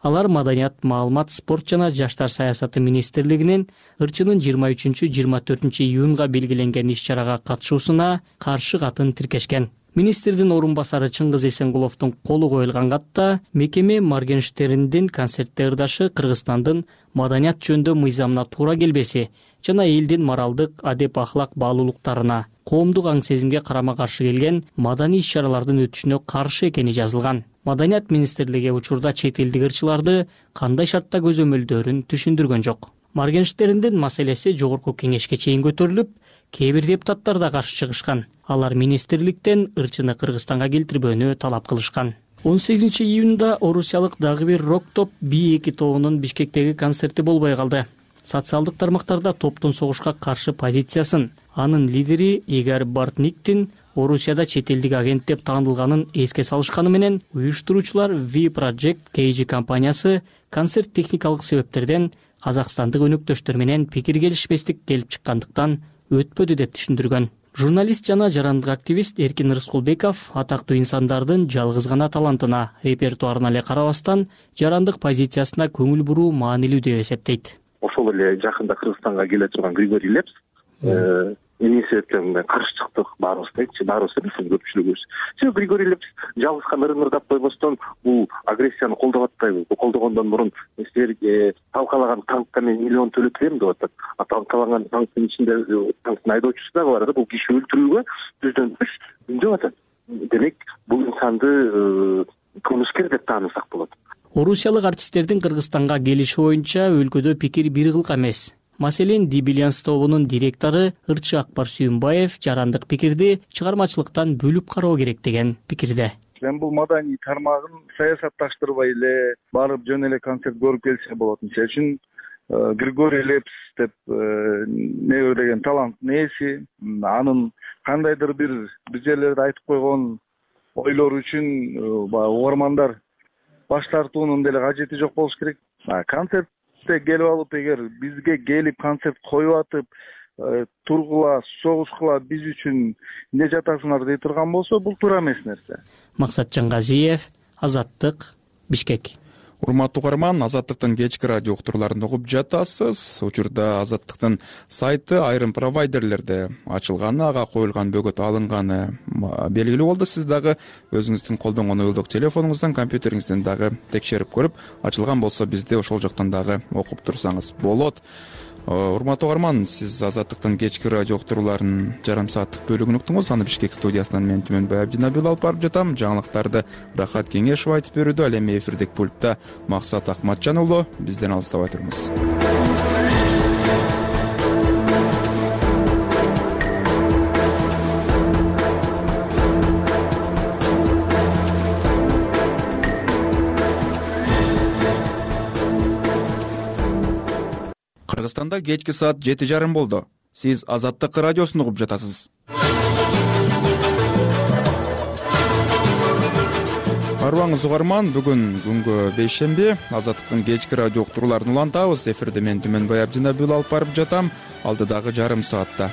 Алар Маданият, маалымат, спорт жана жаштар саясаты министрлигинин ырчынын жыйырма үчүнчү жыйырма төртүнчү июнга белгиленген иш-чарага катышуусуна каршы катын тиркешкен. Министрдин орун басары Чыңгыз Эсенгуловдун колу коюлган катта мекеме Моргенштерндин концертте ырдашы Кыргызстандын маданият жөнүндө мыйзамына туура келбеси жана элдин моралдык, адеп ахлак баалуулуктарына, коомдук аң сезимге карама каршы келген маданий иш-чаралардын өтүшүнө каршы экени жазылган. Маданият министрлиги учурда чет элдик ырчыларды кандай шартта көзөмөлдөрүн түшүндүргөн жок. Моргенштерндин маселеси жогорку кеңешке чейин көтөрүлүп, кээ бир депутаттар да каршы чыгышкан. Алар министрликтен ырчыны Кыргызстанга келтирбөөнү талап кылышкан. он сегизинчи июнда орусиялык дагы бир рок топ би эки тобунун Бишкектеги концерти болбой калды. Социалдык тармактарда топтун согушка каршы позициясын, анын лидери Игорь Бортниктин Орусияда чет элдик агент деп таанылганын эске салышканы менен уюштуруучулар V Project кей жи компаниясы концерт техникалык себептерден казакстандык өнөктөштөр менен пикир келишпестик келип чыккандыктан өтпөдү деп түшүндүргөн. Журналист жана жарандык активист Эркин Рыскулбеков атактуу инсандардын жалгыз гана талантына, репертуарына эле карабастан жарандык позициясына көңүл буруу маанилүү деп эсептейт. Ошол эле жакында Кыргызстанга келе турган Григорий Лепс эмне себептен каршы чыктык баарыбыз дейчи, баарыбыз эмес, көпчүлүгүбүз. Себеби Григорий Лепс жалгыз гана ырдап койбостон бул агрессияны колдоп атпайбы? Колдогондон мурун силерге талкалаган танкка мен миллион төлөп берем деп атат. А талкалаган танктын ичинде танктын айдоочусу дагы бар да, бул киши өлтүрүүгө жүздөн үч үндөп атат. Демек бул инсанды кылмышкер деп таанысак болот. Орусиялык артисттердин Кыргызстанга келиши боюнча өлкөдө пикир бир кылка эмес. Маселен, Дибилянс тобунун директору ырчы Акбар Сүйүнбаев жарандык пикирди чыгармачылыктан бөлүп кароо керек деген пикирде. Мен бул маданий тармагын саясатташтырбай эле барып жөн эле концерт көрүп келсе болот. Мисалы үчүн Григорий Лепс деп не деген таланттын ээси, анын кандайдыр бир бир жерлерде айтып койгон ойлору үчүн угармандар баш тартуунун деле кажети жок болуш керек. Концертте келип алып, эгер бизге келип концерт коюп атып, тургула, согушкула биз үчүн эмне жатасыңар дей турган болсо, бул туура эмес нерсе. Максат Жангазиев, Азаттык, Бишкек. Урматтуу угарман, Азаттыктын кечки радио уктурууларын угуп жатасыз. Учурда Азаттыктын сайты айрым провайдерлерде ачылганы, ага коюлган бөгөт алынганы белгилүү болду. Сиз дагы өзүңүздүн колдонгон уюлдук телефонуңуздан, компьютериңизден дагы текшерип көрүп, ачылган болсо бизди ошол жактан дагы окуп турсаңыз болот. урматтуу угарман, сиз Азаттыктын кечки радио уктурууларынын жарым сааттык бөлүгүн уктуңуз. Аны Бишкек студиясынан мен Түмөнбай Абдинабил алып барып жатам. Жаңылыктарды Рахат Кеңешов айтып берүүдө. Ал эми эфирдик пультта Максат Акматжан уулу. Бизден алыстабай туруңуз. Кыргызстанда кечки саат жети жарым болду. Сиз Азаттык радиосун угуп жатасыз. Арбаңыз угарман, бүгүн күнгө бейшемби. Азаттыктын кечки радио уктурууларын улантабыз. Эфирде мен Түмөнбай Абдинабил алып барып жатам. Алдыдагы жарым саатта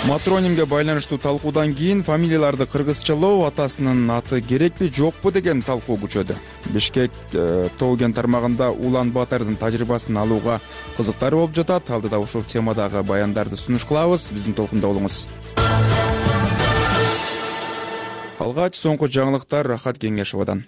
матронимге байланыштуу талкуудан кийин фамилияларды кыргызчалоо атасынын аты керекпи, жокпу деген талкуу күчөдү. Бишкек Тоо кен тармагында Улан Батырдын тажрыйбасын алууга кызыктар болуп жатат. Алдыда ушул темадагы баяндарды сунуш кылабыз. Биздин толкунда болуңуз. Алгач соңку жаңылыктар Рахат Кеңешовдон.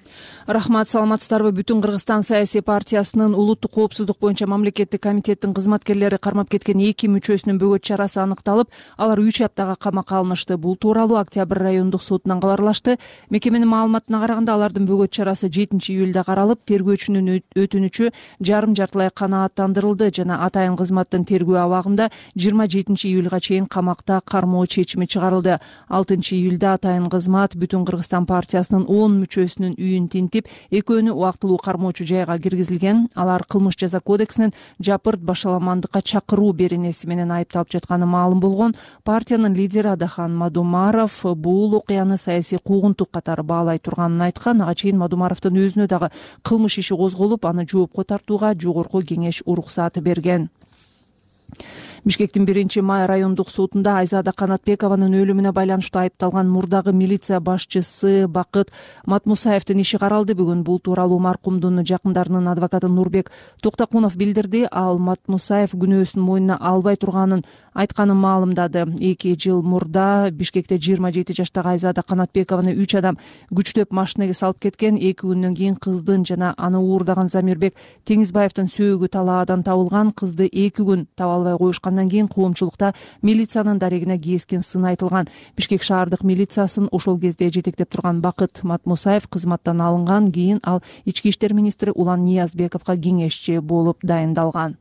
Рахмат, саламатсыздарбы? Бүтүн Кыргызстан саясий партиясынын улуттук коопсуздук боюнча мамлекеттик комитеттин кызматкерлери кармап кеткен эки мүчөсүнүн бөгөт чарасы аныкталып, алар үч аптага камакка алынышты. Бул тууралуу Октябрь райондук сотунан кабарлашты. Мекеменин маалыматына караганда, алардын бөгөт чарасы жетинчи июлда каралып, тергөөчүнүн өтүнүчү жарым жартылай канааттандырылды жана атайын кызматтын тергөө абагында жыйырма жетинчи июлга чейин камакта кармоо чечими чыгарылды. алтынчы июлда атайын кызмат Бүтүн Кыргызстан партиясынын он мүчөсүнүн үйүн тинтип, экөөнү убактылуу кармоочу жайга киргизилген. Алар кылмыш жаза кодексинин жапырт башаламандыкка чакыруу беренеси менен айыпталып жатканы маалым болгон. Партиянын лидери Адахан Мадумаров бул окуяны саясий куугунтук катары баалай турганын айткан. Ага чейин Мадумаровдун өзүнө дагы кылмыш иши козголуп, аны жоопко тартууга жогорку кеңеш уруксат берген. Бишкектин биринчи май райондук сотунда Айзада Канатбекованын өлүмүнө байланыштуу айыпталган мурдагы милиция башчысы Бакыт Матмусаевдин иши каралды. Бүгүн бул тууралуу маркумдун жакындарынын адвокаты Нурбек Токтокунов билдирди. Ал Матмусаев күнөөсүн мойнуна албай турганын айтканын маалымдады. эки жыл мурда Бишкекте жыйырма жети жаштагы Айзада Канатбекованы үч адам күчтөп машинеге салып кеткен. эки күндөн кийин кыздын жана аны уурдаган Замирбек Теңизбаевдин сөөгү талаадан табылган. Кызды эки күн таба албай коюшкан. Андан кийин коомчулукта милициянын дарегине кескен сын айтылган. Бишкек шаардык милициясын ошол кезде жетектеп турган Бакыт Матмусаев кызматтан алынган. Кийин ал ички иштер министри Улан Ниязбековго кеңешчи болуп дайындалган.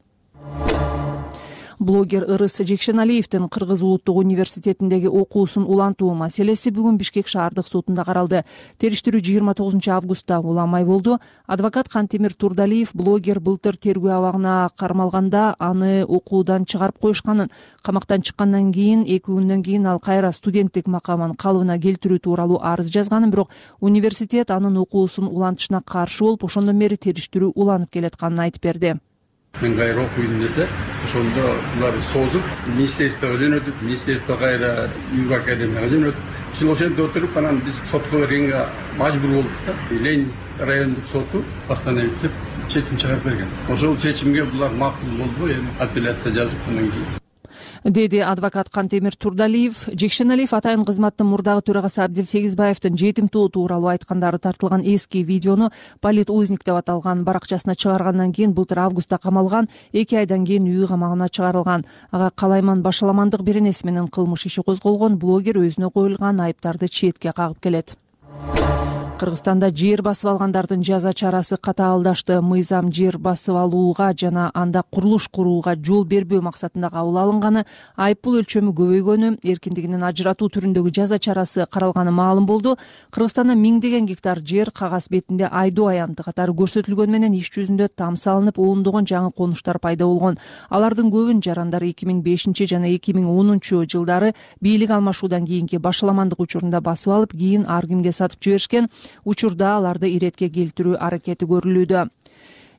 Блогер Ырыс Жекшеналиевдин Кыргыз улуттук университетиндеги окуусун улантуу маселеси бүгүн Бишкек шаардык сотунда каралды. Териштирүү жыйырма тогузунчу августта уламай болду. Адвокат Кантемир Турдалиев блогер былтыр тергөө абагына кармалганда аны окуудан чыгарып коюшканын, камактан чыккандан кийин эки күндөн кийин ал кайра студенттик макамын калыбына келтирүү тууралуу арыз жазганын, бирок университет анын окуусун улантышына каршы болуп, ошондон бери териштирүү уланып келатканын айтып берди. Мен кайра окуйм десе, ошондо булар созуп, министрликтеге жөнөтүп, министрликте кайра үй академияга жөнөтүп, биз ошентип отуруп, анан биз сотко бергенге мажбур болдук да. Ленин райондук соту постановить чечим чыгарып берген. Ошол чечимге булар макул болду, эми апелляция жазып, андан кийин деди адвокат Кантемир Турдалиев. Жекшеналиев атайын кызматтын мурдагы төрагасы Абдил Сегизбаевдин жетим тоо тууралуу айткандары тартылган эски видеону Полит узник деп аталган баракчасына чыгаргандан кийин былтыр августта камалган. эки айдан кийин үй камагына чыгарылган. Ага калайман башаламандык беренеси менен кылмыш иши козголгон. Блогер өзүнө коюлган айыптарды четке кагып келет. Кыргызстанда жер басып алгандардын жаза чарасы катаалдашты. Мыйзам жер басып алууга жана анда курулуш курууга жол бербөө максатында кабыл алынганы, айыппул өлчөмү көбөйгөнү, эркиндигинен ажыратуу түрүндөгү жаза чарасы каралганы маалым болду. Кыргызстанда миңдеген гектар жер кагаз бетинде айдоо аянты катары көрсөтүлгөнү менен иш жүзүндө там салынып, ондогон жаңы конуштар пайда болгон. Алардын көбүн жарандар эки миң бешинчи жана эки миң онунчу жылдары бийлик алмашуудан кийинки башаламандык учурунда басып алып, кийин ар кимге сатып жиберишкен. Учурда аларды иретке келтирүү аракети көрүлүүдө.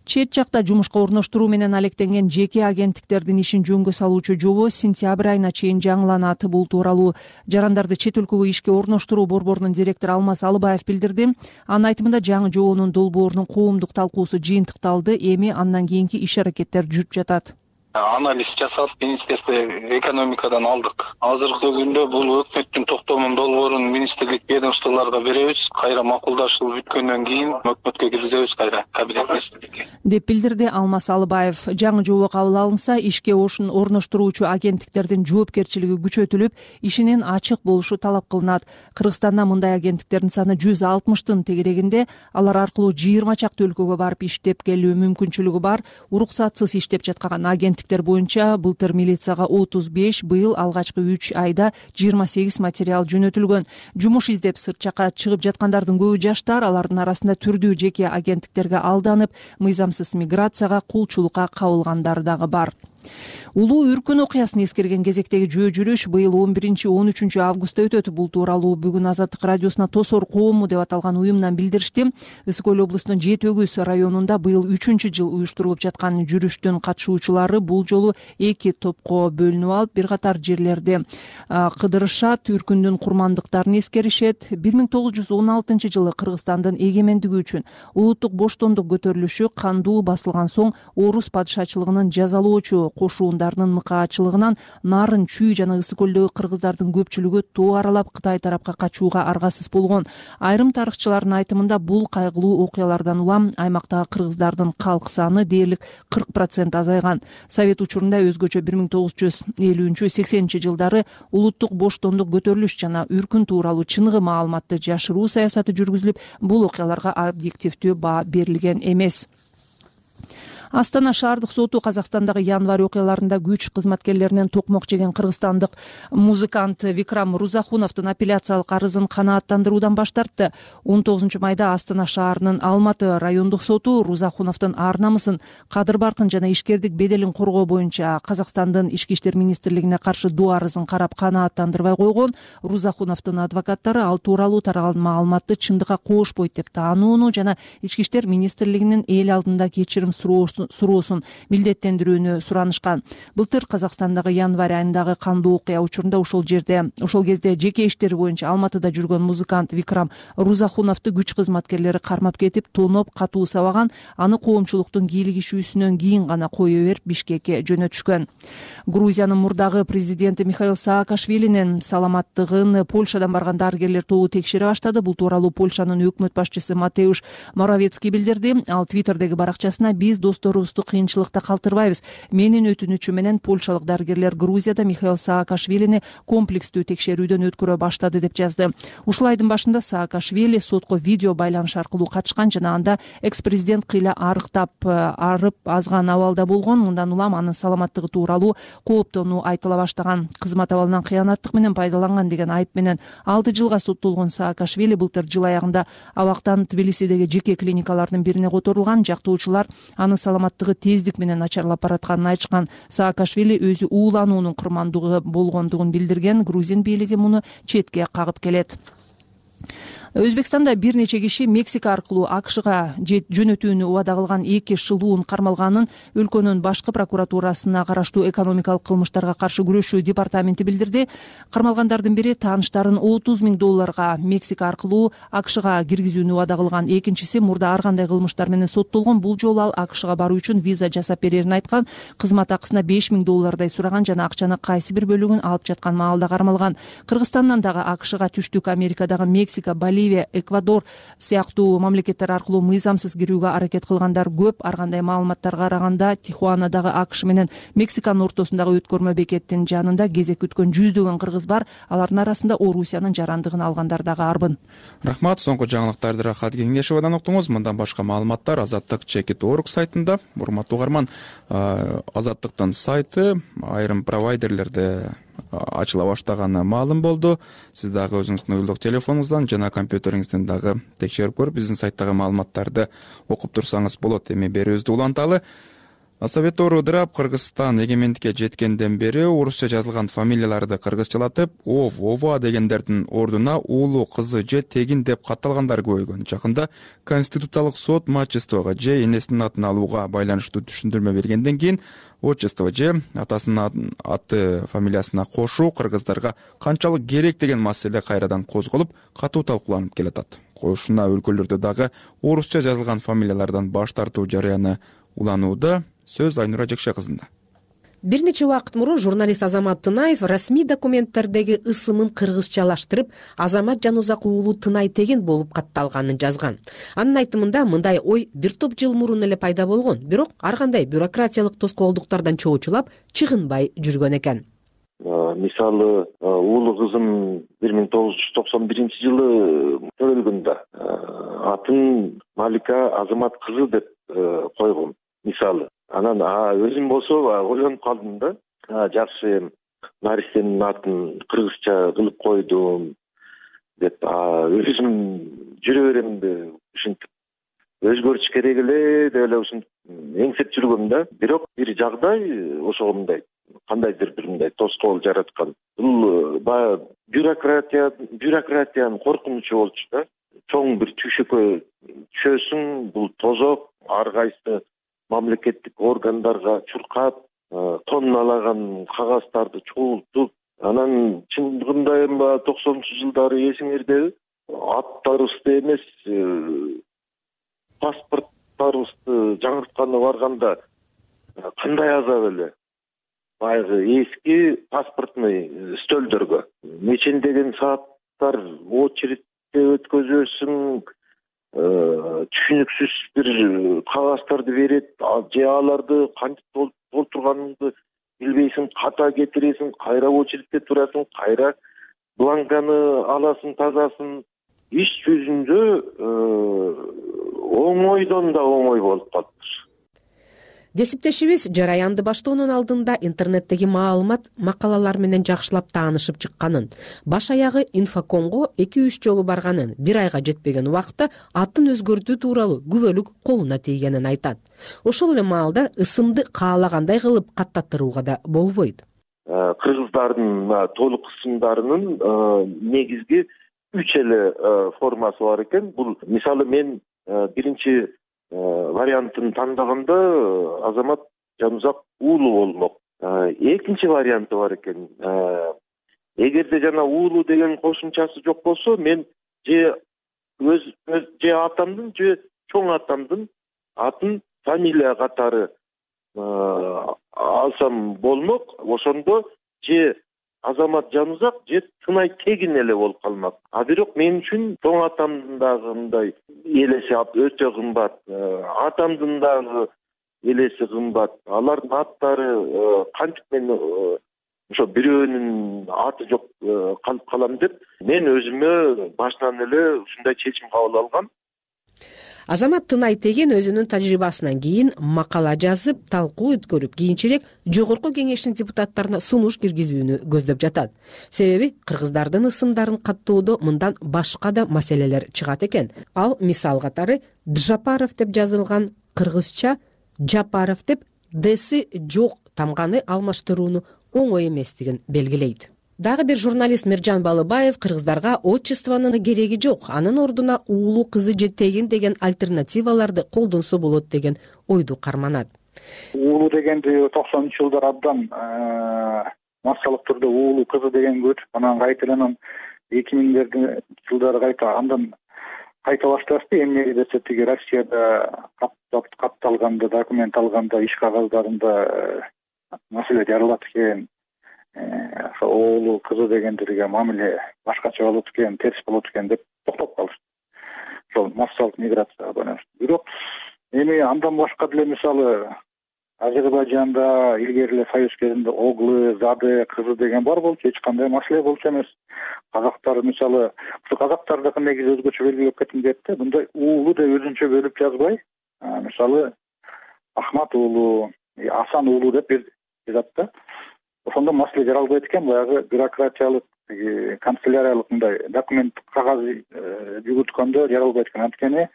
Чет жакта жумушка орноштуруу менен алектенген жеке агенттиктердин ишин жөнгө салуучу жобо сентябрь айына чейин жаңыланат. Бул тууралуу жарандарды чет өлкөгө ишке орноштуруу борборунун директору Алмаз Алыбаев билдирди. Анын айтымында жаңы жобонун долбоорунун коомдук талкуусу жыйынтыкталды. Эми андан кийинки иш аракеттер жүрүп жатат. анализ жасап министерство экономикадан алдык. Азыркы күндө бул өкмөттүн токтомун долбоорун министрлик ведомстволорго беребиз. Кайра макулдашуу бүткөндөн кийин өкмөткө киргизебиз кайра кабинет министрликке, деп билдирди Алмаз Алыбаев. Жаңы жобо кабыл алынса, ишке орноштуруучу агенттиктердин жоопкерчилиги күчөтүлүп, ишинин ачык болушу талап кылынат. Кыргызстанда мындай агенттиктердин саны жүз алтымыштын тегерегинде. Алар аркылуу жыйырма чакты өлкөгө барып иштеп келүү мүмкүнчүлүгү бар. Уруксатсыз иштеп жаткан агенттиктер боюнча былтыр милицияга отуз беш, быйыл алгачкы үч айда жыйырма сегиз материал жөнөтүлгөн. Жумуш издеп сырт жакка чыгып жаткандардын көбү жаштар. Алардын арасында түрдүү жеке агенттиктерге алданып, мыйзамсыз миграцияга, кулчулукка кабылгандар дагы бар. Улуу үркүн окуясын эскерген кезектеги жөө жүрүш быйыл он биринчи он үчүнчү августта өтөт. Бул тууралуу бүгүн Азаттык радиосуна Тосор коому деп аталган уюмдан билдиришти. Ысык көл облусунун Жети Өгүз районунда быйыл үчүнчү жыл уюштурулуп жаткан жүрүштүн катышуучулары бул жолу эки топко бөлүнүп алып, бир катар жерлерди кыдырышат, үркүндүн курмандыктарын эскеришет. бир миң тогуз жүз он алтынчы жылы Кыргызстандын эгемендиги үчүн улуттук боштондук көтөрүлүшү кандуу басылган соң орус падышачылыгынын жазалоочу кошуундарынын мыкаачылыгынан Нарын, Чүй жана Ысык көлдөгү кыргыздардын көпчүлүгү тоо аралап Кытай тарапка качууга аргасыз болгон. Айрым тарыхчылардын айтымында бул кайгылуу окуялардан улам аймактагы кыргыздардын калк саны дээрлик кырк процент азайган. Совет учурунда өзгөчө бир миң тогуз жүз элүүнчү сексенинчи жылдары улуттук боштондук көтөрүлүш жана үркүн тууралуу чыныгы маалыматты жашыруу саясаты жүргүзүлүп, бул окуяларга объективдүү баа берилген эмес. Астана шаардык соту Казакстандагы январь окуяларында күч кызматкерлеринен токмок жеген кыргызстандык музыкант Викрам Рузахуновдун апелляциялык арызын канааттандыруудан баш тартты. он тогузунчу майда Астана шаарынын Алматы райондук соту Рузахуновдун ар намысын, кадыр баркын жана ишкердик беделин коргоо боюнча Казакстандын ички иштер министрлигине каршы доо арызын карап канааттандырбай койгон. Рузахуновдун адвокаттары ал тууралуу таралган маалыматты чындыкка коошпойт деп таанууну жана ички иштер министрлигинин эл алдында кечирим суроосун милдеттендирүүнү суранышкан. Былтыр Казакстандагы январь айындагы кандуу окуя учурунда ошол жерде ошол кезде жеке иштери боюнча Алматыда жүргөн музыкант Викрам Рузахуновду күч кызматкерлери кармап кетип, тоноп, катуу сабаган. Аны коомчулуктун кийлигишүүсүнөн кийин гана кое берип Бишкекке жөнөтүшкөн. Грузиянын мурдагы президенти Михаил Саакашвилинин саламаттыгын Польшадан барган дарыгерлер тобу текшере баштады. Бул тууралуу Польшанын өкмөт башчысы Матеуш Моровецкий билдирди. Ал Твиттердеги баракчасына: биз досторубузду кыйынчылыкта калтырбайбыз. Менин өтүнүчүм менен польшалык дарыгерлер Грузияда Михаил Саакашвилини комплекстүү текшерүүдөн өткөрө баштады деп жазды. Ушул айдын башында Саакашвили сотко видео байланыш аркылуу качкан жана анда экс-президент кыйла арыктап, арып азган абалда болгон. Мындан улам анын саламаттыгы тууралуу кооптонуу айтыла баштаган. Кызмат абалынан кыянаттык менен пайдаланган деген айып менен алты жылга соттолгон Саакашвили былтыр жыл аягында абактан Тбилисидеги жеке клиникалардын бирине которулган. Жактоочулар анын саламаттыгы тездик менен начарлап баратканын айтышкан. Саакашвили өзү уулануунун курмандыгы болгондугун билдирген. Грузин бийлиги муну четке кагып келет. Өзбекстанда бир нече киши Мексика аркылуу АКШга жөнөтүүнү убада кылган эки шылуун кармалганын өлкөнүн башкы прокуратурасына караштуу экономикалык кылмыштарга каршы күрөшүү департаменти билдирди. Кармалгандардын бири тааныштарын отуз миң долларга Мексика аркылуу АКШга киргизүүнү убада кылган. Экинчиси мурда ар кандай кылмыштар менен соттолгон. Бул жолу ал АКШга баруу үчүн виза жасап берерин айткан. Кызмат акысына беш миң доллардай сураган жана акчаны кайсы бир бөлүгүн алып жаткан маалда кармалган. Кыргызстандан дагы АКШга Түштүк Америкадагы Мексика, Боливия, Эквадор сыяктуу мамлекеттер аркылуу мыйзамсыз кирүүгө аракет кылгандар көп. Ар кандай маалыматтарга караганда Тихуанадагы АКШ менен Мексиканын ортосундагы өткөрмө бекеттин жанында кезек күткөн жүздөгөн кыргыз бар. Алардын арасында Орусиянын жарандыгын алгандар дагы арбын. Рахмат. Соңку жаңылыктарды Рахат Кеңешовадан уктуңуз. Мындан башка маалыматтар Азаттык чекит точка орг сайтында. Урматтуу угарман, Азаттыктын сайты айрым провайдерлерде ачыла баштаганы маалым болду. Сиз дагы өзүңүздүн уюлдук телефонуңуздан жана компьютериңизден дагы текшерип көрүп, биздин сайттагы маалыматтарды окуп турсаңыз болот. Эми берүүбүздү уланталы. Советтор ыдырап, Кыргызстан эгемендикке жеткенден бери орусча жазылган фамилияларды кыргызчалатып, ов, ова дегендердин ордуна уулу, кызы же тегин деп катталгандар көбөйгөн. Жакында Конституциялык сот мачествого же энесинин атын алууга байланыштуу түшүндүрмө бергенден кийин отчество же атасынын аты фамилиясына кошуу кыргыздарга канчалык керек деген маселе кайрадан козголуп, катуу талкууланып келатат. Кошуна өлкөлөрдө дагы орусча жазылган фамилиялардан баш тартуу жарыяны уланууда. Сөз Айнура Жекше кызында. бир нече убакыт мурун журналист Азамат Тынаев расмий документтердеги ысымын кыргызчалаштырып Азамат Жанузак уулу Тынай Теген болуп катталганын жазган. Анын айтымында мындай ой бир топ жыл мурун эле пайда болгон, бирок ар кандай бюрократиялык тоскоолдуктардан чоочулап чыгынбай жүргөн экен. Мисалы, уулу кызым бир миң тогуз жүз токсон биринчи жылы төрөлгөндө атын Малика Азамат кызы деп койгом. Мисалы, анан өзүм болсо ойлонуп калдым да, жакшы наристенин атын кыргызча кылып койдум деп өзүм жүрө беремди, ушинтип өзгөртүш керек эле деп эле ушинтип эңсеп жүргөм да. Бирок бир жагдай ошого мындай кандайдыр бир мындай тоскоол жараткан. Бул баягы бюрократия бюрократиянын коркунучу болчу да. Чоң бир түйшөккө түшөсүң, бул тозок, ар кайсы мамлекеттик органдарга чуркап, тонналаган кагаздарды чогултуп, анан чындыгында эми токсонунчу жылдары эсиңердеби, аттарыбызды эмес, паспорттарыбызды жаңыртканы барганда кандай азап эле. Баягы эски паспортный стөлдөргө нечендеген сааттар очередте өткөзөсүң, түшүнүксүз бир кагаздарды берет, же аларды кантип толтурганыңды билбейсиң, ката кетиресиң, кайра очередте турасың, кайра бланканы аласың, тазасын. Иш жүзүндө оңойдон да оңой болуп калыптыр. Кесиптешибиз жараянды баштоонун алдында интернеттеги маалымат, макалалар менен жакшылап таанышып чыкканын, баш аягы инфокомго эки үч жолу барганын, бир айга жетпеген убакта атын өзгөртүү тууралуу күбөлүк колуна тийгенин айтат. Ошол эле маалда ысымды каалагандай кылып каттаттырууга да болбойт. Кыргыздардын толук ысымдарынын негизги үч эле формасы бар экен. Бул мисалы мен биринчи вариантын тандаганда Азамат Жанузак уулу болмок. Экинчи варианты бар экен. Эгерде жана уулу деген кошумчасы жок болсо, мен же өз же атамдын, же чоң атамдын атын фамилия катары алсам болмок. Ошондо же Азамат Жанузак же Тынай Тегин эле болуп калмак. А бирок мен үчүн чоң атамдын дагы мындай элеси өтө кымбат, атамдын дагы элеси кымбат. Алардын аттары кантип мен ошо бирөөнүн аты жок калып калам деп мен өзүмө башынан эле ушундай чечим кабыл алгам. Азамат Тынай Теген өзүнүн тажрыйбасынан кийин макала жазып, талкуу өткөрүп, кийинчерээк жогорку кеңештин депутаттарына сунуш киргизүүнү көздөп жатат. Себеби кыргыздардын ысымдарын каттоодо мындан башка да маселелер чыгат экен. Ал мисал катары Джапаров деп жазылган кыргызча Жапаров деп деси жок тамганы алмаштырууну оңой эместигин белгилейт. Дагы бир журналист Миржан Балыбаев кыргыздарга отчествонун кереги жок, анын ордуна уулу кызы же Тегин деген альтернативаларды колдонсо болот деген ойду карманат. Уулу дегенди токсонунчу жылдар абдан массалык түрдө уулу кызы деген көчүп, анан кайтадан эки миңдерди жылдары кайта андан кайта башташты. Эмне десе тиги Россияда катталганда, документ алганда, иш кагаздарында маселе жаралат экен. Оолу кызы дегендерге мамиле башкача болот экен, терс болот экен деп токтоп калышты. Ошол массалык миграцияга байланыштуу. Бирок эми андан башка деле мисалы Азербайжанда илгери эле Союз кезинде Оглы, Зады кызы деген бар болчу, эч кандай маселе болчу эмес. Казактар мисалы, ушу казактардыкы негизи өзгөчө белгилеп кетим деп да, мындай уулу деп өзүнчө бөлүп жазбай, мисалы Ахмат уулу, Асан уулу деп жазат да. Ошондо маселе жаралбайт экен, баягы бюрократиялык, канцеляриялык мындай документ кагаз жүгүрткөндө жаралбайт экен. Анткени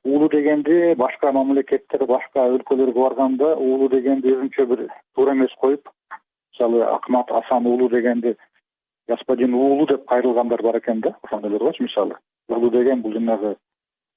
уулу дегенди башка мамлекеттер, башка өлкөлөргө барганда уулу дегенди өзүнчө бир туура эмес коюп, мисалы Акмат Асан уулу дегенди господин уулу деп кайрылгандар бар экен да, ошондойлор болчу мисалы. Уулу деген бул жанагы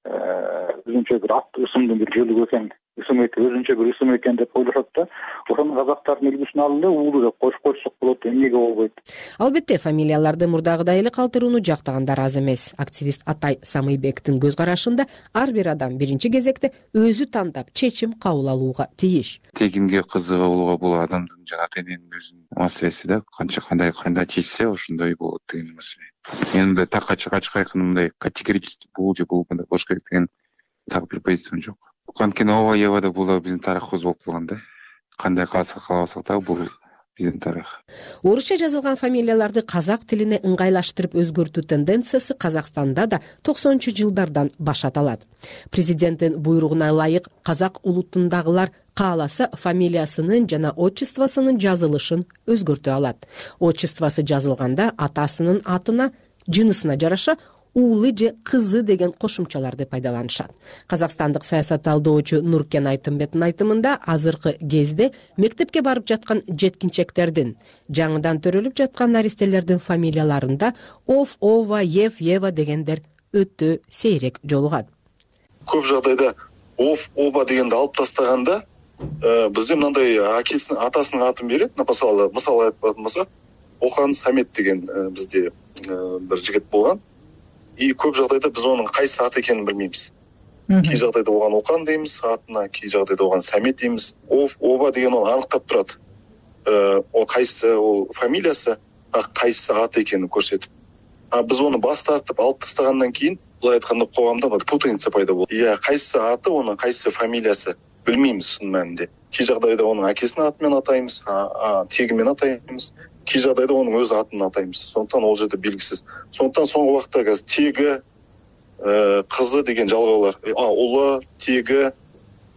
өзүнчө бир ат ысымдын бир жөлүгү экен ысым экен, өзүнчө бир ысым экен деп ойлошот да. Ошону казактардын үлгүсүн алып эле уулу деп коюп койсок болот, эмнеге болбойт? Албетте, фамилияларды мурдагыдай эле калтырууну жактагандар аз эмес. Активист Атай Самыйбектин көз карашында ар бир адам биринчи кезекте өзү тандап чечим кабыл алууга тийиш. Тегимге кызыга болууга бул адамдын жана ата эненин өзүнүн маселеси да. Канча кандай кандай чечсе ошондой болот деген маселе. Мен мындай так ачык ачык айкын мындай категорически бул же бул мындай болуш керек деген так бир позициям жок. Анткени ооба еба да бул биздин тарыхыбыз болуп калган да. Кандай калса кааласак да бул биздин тарых. Орусча жазылган фамилияларды казак тилине ыңгайлаштырып өзгөртүү тенденциясы Казакстанда да токсонунчу жылдардан башат алат. Президенттин буйругуна ылайык казак улутундагылар кааласа фамилиясынын жана отчествосунун жазылышын өзгөртө алат. Отчествосы жазылганда атасынын атына, жынысына жараша уулу же кызы деген кошумчаларды пайдаланышат. Казакстандык саясат талдоочу Нуркен Айтымбеттин айтымында азыркы кезде мектепке барып жаткан жеткинчектердин, жаңыдан төрөлүп жаткан наристелердин фамилияларында Ов, Ова, Ев, Ева дегендер өтө сейрек жолугат. Көп жагдайда Ов, Ова дегенди алып тастаганда бизде мындай акесинин атасынын атын берет. Мисалы, мисалы айтпадым болсо, Охан Самет деген бизде бир жигит болгон. И көп жагдайда биз онун кайсы ат экенин билбейбиз. Кей жагдайда оган Окан дейбиз атына, кей жагдайда оган Самет дейбиз. Ов, Ова деген ол аныктап турат. О кайсы ол фамилиясы, кайсы ат экенин көрсөтүп. А биз ону бас тартып алып тастагандан кийин, булай айтканда коомдо путаница пайда болот. Ия, кайсы аты, онун кайсы фамилиясы билмейбиз шын мәнинде. Кей жагдайда онун акесинин аты менен атайбыз, а теги менен атайбыз. Кей жагдайда онун өз атын атайбыз. Сондуктан ол жерде белгисиз. Сондуктан соңку убакта азыр теги, кызы деген жалгоолор, а улы, теги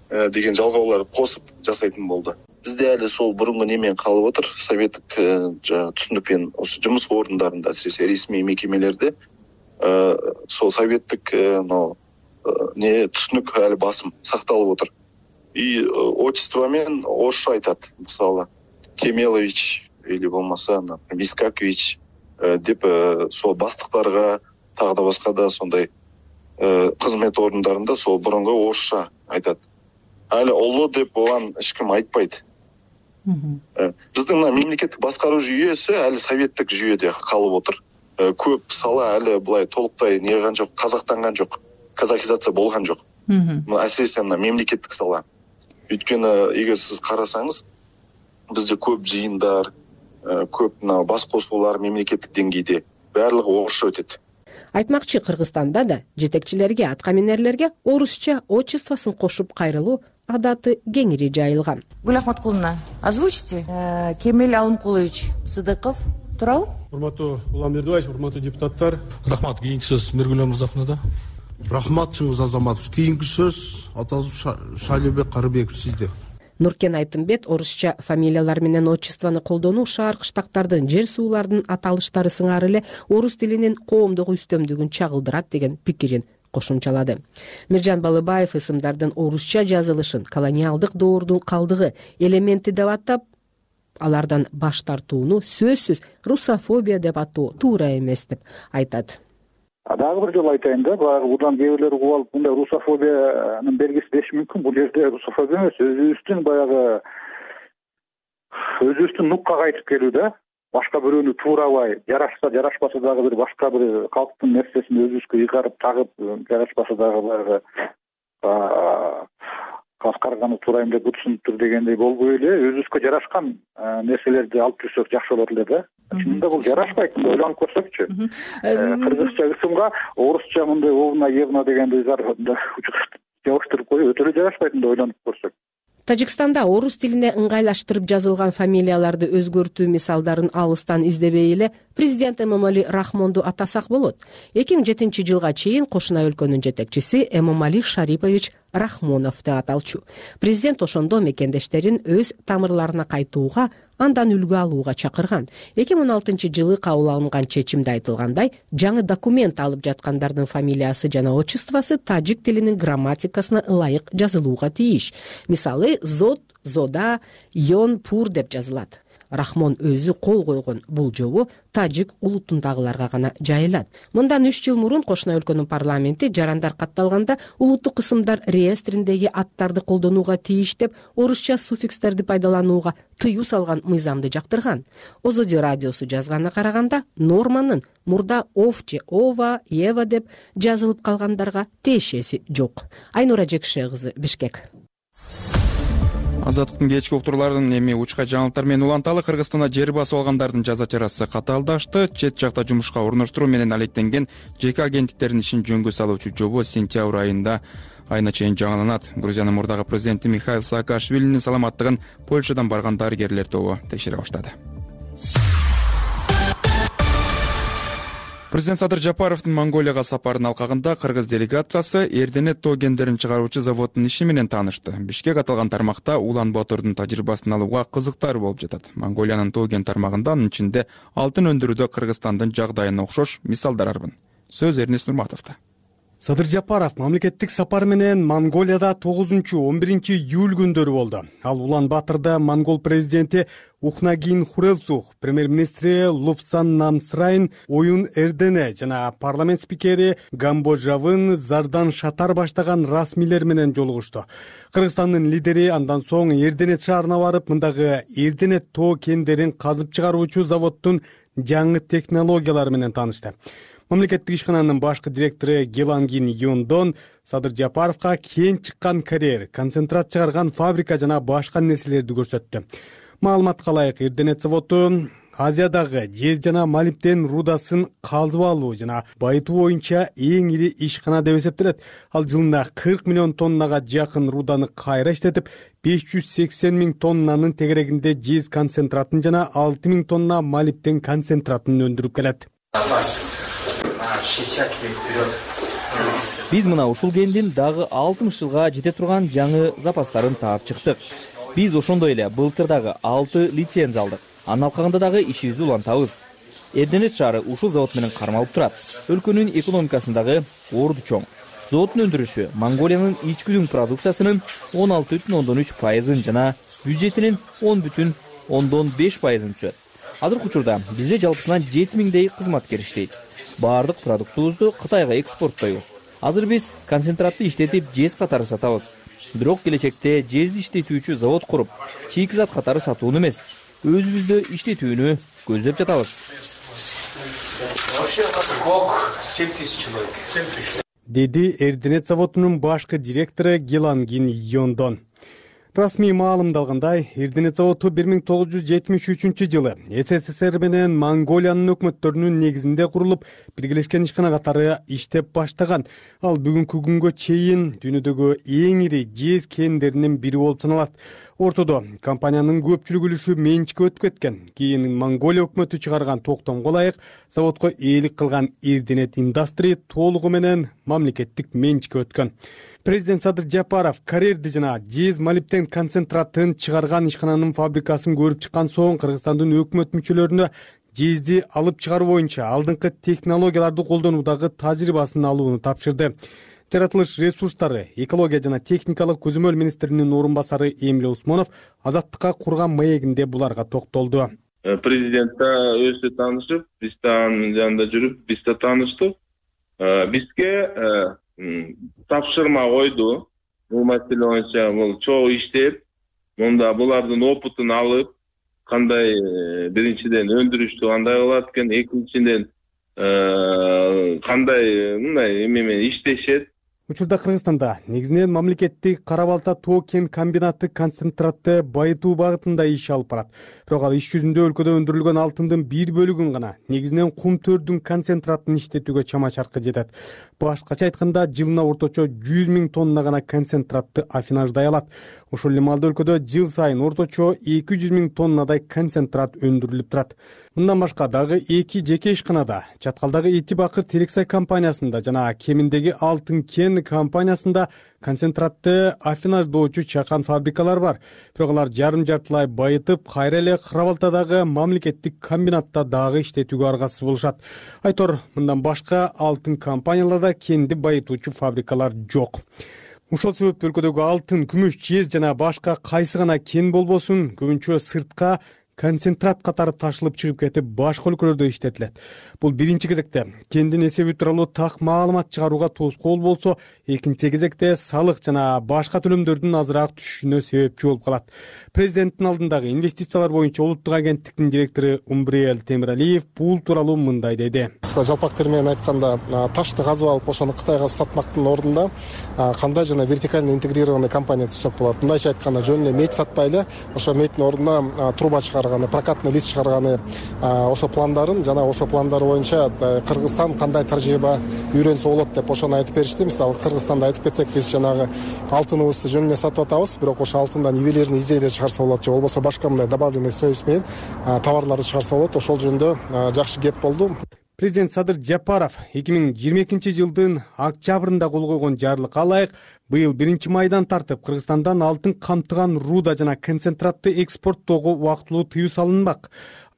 деген жалгоолор косуп жасайтын болду. Бизде әле сол бурунку немен калып отур. Советтик түшүнүкпен осы жумуш орундарында, асиресе ресми мекемелерде сол советтик не түшүнүк әле басым сакталып отур. И отчество менен орусча айтат. Мисалы, Кемелович или болмаса Вискакович деп сол бастыктарга, тагы да башка да сондай кызмет орундарында сол бурунку орусча айтат. Али улуу деп болгон эч ким айтпайт. Биздин мемлекеттик башкаруу жүйөсү али советтик жүйөдө калып отур. Көп сала али булай толуктай неган жок, казактанган жок, казахизация болгон жок. Асиресе мемлекеттик сала. Өйткөнү эгер сиз карасаңыз, бизде көп жыйындар, көп мына баш косуулар мемлекеттик деңгейде баардыгы орусча өтөт. Айтмакчы, Кыргызстанда да жетекчилерге, аткаминерлерге орусча отчествосын кошуп кайрылуу адаты кеңири жайылган. Гүл Ахматкуловна, озвучите. Кемел Алымкулович Сыдыков туурабы? Урматтуу Улам Бердибаевич, урматтуу депутаттар. Рахмат. Кийинки сөз Миргүл Мырзахунова да. Рахмат Чыңгыз Азаматович. Кийинки сөз Атазов Шайлебек Карыбеков сизде. Нуркен Айтымбет орусча фамилиялар менен отчествону колдонуу шаар кыштактардын, жер суулардын аталыштары сыңары эле орус тилинин коомдук үстөмдүгүн чагылдырат деген пикирин кошумчалады. Миржан Балыбаев ысымдардын орусча жазылышын колониалдык доордун калдыгы элементи деп атап, алардан баш тартууну сөзсүз русофобия деп атоо туура эмес деп айтат. Дагы бир жолу айтайын да, баягы бурдан кээ бирлер угуп алып, мындай русофобиянын белгиси деши мүмкүн. Бул жерде русофобия эмес, өзүбүздүн баягы өзүбүздүн нуккага айтып келүү да. Башка бирөөнү туурабай, жарашса, жарашпаса дагы бир башка бир калктын нерсесин өзүбүзгө ыйгарып тагып, жарашпаса дагы баягы каскарганы туурайм деп бутсунуптур дегендей болбой эле, өзүбүзгө жарашкан нерселерди алып жүрсөк жакшы болот эле да. Чынында бул жарашпайт, мындай ойлонуп көрсөкчү. Кыргызча ысымга орусча мындай овна, евна дегенди жабыштырып коюп өтө эле жарашпайт, мындай ойлонуп көрсөк. Тажикстанда орус тилине ыңгайлаштырып жазылган фамилияларды өзгөртүү мисалдарын алыстан издебей эле президент Эмомали Рахмонду атасак болот. эки миң жетинчи жылга чейин кошуна өлкөнүн жетекчиси Эмомали Шарипович Рахмонов деп аталчу. Президент ошондо мекендештерин өз тамырларына кайтууга, андан үлгү алууга чакырган. эки миң он алтынчы жылы кабыл алынган чечимде айтылгандай, жаңы документ алып жаткандардын фамилиясы жана отчествосы тажик тилинин грамматикасына ылайык жазылууга тийиш. Мисалы, Зод, Зода, Йон, Пур деп жазылат. рахмон өзү кол койгон бул жобо тажик улутундагыларга гана жайылат. Мындан үч жыл мурун кошуна өлкөнүн парламенти жарандар катталганда улуттук кысымдар реестриндеги аттарды колдонууга тийиш деп орусча суффикстерди пайдаланууга тыюу салган мыйзамды жактырган. Озодо радиосу жазганына караганда норманын мурда ов же ова, ева деп жазылып калгандарга тиешеси жок. Айнура Жекше кызы, Бишкек. Азаттыктын кечки уктурларынын эми учка жаңылыктар менен уланталы. Кыргызстанда жер басып алгандардын жаза чарасы катаалдашты. Чет жакта жумушка орноштуруу менен алектенген жеке агенттиктердин ишин жөнгө салуучу жобо сентябрь айында айына чейин жаңыланат. Грузиянын мурдагы президенти Михаил Саакашвилинин саламаттыгын Польшадан барган дарыгерлер тобу текшере баштады. Президент Садыр Жапаровдун Монголияга сапарын алкагында кыргыз делегациясы Эрденет тоо кендерин чыгаруучу заводдун иши менен таанышты. Бишкек аталган тармакта Улан Батордун тажрыйбасын алууга кызыктар болуп жатат. Монголиянын тоо кен тармагында анын ичинде алтын өндүрүүдө Кыргызстандын жагдайына окшош мисалдар арбын. Сөз Эрнест Нурматовдо. Садыр Жапаров мамлекеттик сапар менен Монголияда тогузунчу он биринчи июль күндөрү болду. Ал Улан Батырда монгол президенти Ухнагин Хурэлсух, премьер-министри Лупсан Намсрайн, Оюн Эрдене жана парламент спикери Гамбожавын Зардан Шатар баштаган расмийлер менен жолугушту. Кыргызстандын лидери андан соң Эрденет шаарына барып, мындагы Эрденет тоо кендерин казып чыгаруучу заводдун жаңы технологиялары менен таанышты. Мамлекеттик ишкананын башкы директору Гелангин Юндон Садыр Жапаровго кен чыккан карьер, концентрат чыгарган фабрика жана башка нерселерди көрсөттү. Маалыматка ылайык, Эрденет заводу Азиядагы жез жана молибден рудасын казып алуу жана байытуу боюнча эң ири ишкана деп эсептелет. Ал жылына кырк миллион тоннага жакын руданы кайра иштетип, беш жүз сексен миң тоннанын тегерегинде жез концентратын жана алты миң тонна молибден концентратын өндүрүп келет. Биз мына ушул кендин дагы алтымыш жылга жете турган жаңы запастарын таап чыктык. Биз ошондой эле былтыр дагы алты лицензия алдык. Анын алкагында дагы ишибизди улантабыз. Эрденет шаары ушул завод менен кармалып турат. Өлкөнүн экономикасындагы орду чоң. Заводдун өндүрүшү Монголиянын ички дүң продукциясынын он алты бүтүн ондон үч пайызын жана бюджетинин он бүтүн ондон беш пайызын түзөт. Азыркы учурда бизде жалпысынан жети миңдей кызматкер иштейт. Баардык продуктубузду Кытайга экспорттойбуз. Азыр биз концентратты иштетип жез катары сатабыз. Бирок келечекте жезди иштетүүчү завод куруп, чийки зат катары сатууну эмес, өзүбүздө иштетүүнү көздөп жатабыз. Деди Эрденет заводунун башкы директору Гелангин Йондон. Расмий маалымдалгандай, Эрденет заводу бир миң тогуз жүз жетимиш үчүнчү жылы СССР менен Монголиянын өкмөттөрүнүн негизинде курулуп, биргелешкен ишкана катары иштеп баштаган. Ал бүгүнкү күнгө чейин дүйнөдөгү эң ири жез кендеринин бири болуп саналат. Ортодо компаниянын көпчүлүк үлүшү менчикке өтүп кеткен. Кийин Монголия өкмөтү чыгарган токтомго ылайык заводко ээлик кылган Эрденет Индастри толугу менен мамлекеттик менчикке өткөн. Президент Садыр Жапаров карьерди жана жез молибден концентратын чыгарган ишкананын фабрикасын көрүп чыккан соң Кыргызстандын өкмөт мүчөлөрүнө жезди алып чыгаруу боюнча алдыңкы технологияларды колдонуудагы тажрыйбасын алууну тапшырды. Жаратылыш ресурстары, экология жана техникалык көзөмөл министринин орун басары Эмиль Усмонов Азаттыкка курган маегинде буларга токтолду. Президент да өзү таанышып, биз да анын жанында жүрүп, биз да тааныштык. Бизге тапшырма койду. Бул маселе боюнча бул чогуу иштеп, мында булардын опытын алып, кандай биринчиден өндүрүштү кандай кылат экен, экинчиден кандай мындай эме менен иштешет. Учурда Кыргызстанда негизинен мамлекеттик Кара Балта тоо кен комбинаты концентратты байытуу багытында иш алып барат. Бирок ал иш жүзүндө өлкөдө өндүрүлгөн алтындын бир бөлүгүн гана, негизинен кум төрдүн концентратын иштетүүгө чама-чаркы жетет. Башкача айтканда, жылына орточо жүз миң тонна гана концентратты афинаждай алат. Ошол эле маалда өлкөдө жыл сайын орточо эки жүз миң тоннадай концентрат өндүрүлүп турат. Мындан башка дагы эки жеке ишканада, Чаткалдагы Итибакыр Терексай компаниясында жана Кеминдеги Алтын кен компаниясында концентратты афинаждоочу чакан фабрикалар бар. Бирок алар жарым-жартылай байытып, кайра эле Кара Балтадагы мамлекеттик комбинатта дагы иштетүүгө аргасыз болушат. Айтор, мындан башка алтын компанияларда кенди байытуучу фабрикалар жок. Ошол себептен өлкөдөгү алтын, күмүш, жез жана башка кайсы гана кен болбосун көбүнчө сыртка концентрат катары ташылып чыгып кетип башка өлкөлөрдө иштетилет. Бул биринчи кезекте кендин эсеби тууралуу так маалымат чыгарууга тоскоол болсо, экинчи кезекте салык жана башка төлөмдөрдүн азыраак түшүшүнө себепчи болуп калат. Президенттин алдындагы инвестициялар боюнча улуттук агенттиктин директору Умбриел Темиралиев бул тууралуу мындай деди. Жалпак тери менен айтканда, ташты казып алып ошону Кытайга сатмактын ордунда кандай жана вертикально интегрированный компания түзсөк болот. Мындайча айтканда, жөн эле мейт сатпай эле ошо мейттин ордуна труба чыгарганы, прокатный лист чыгарганы, ошо пландарын жана ошо пландар боюнча Кыргызстан кандай тажрыйба үйрөнсө болот деп ошону айтып беришти. Мисалы Кыргызстанда айтып кетсек, биз жанагы алтыныбызды жөн эле сатып атабыз, бирок ошо алтындан ювелирный изделия чыгарса болот же болбосо башка мындай добавленный стоимость менен товарларды чыгарса болот. Ошол жөнүндө жакшы кеп болду. Президент Садыр Жапаров эки миң жыйырма экинчи жылдын октябрында кол койгон жарлыкка ылайык быйыл биринчи майдан тартып Кыргызстандан алтын камтыган руда жана концентратты экспорттоого убактылуу тыюу салынмак.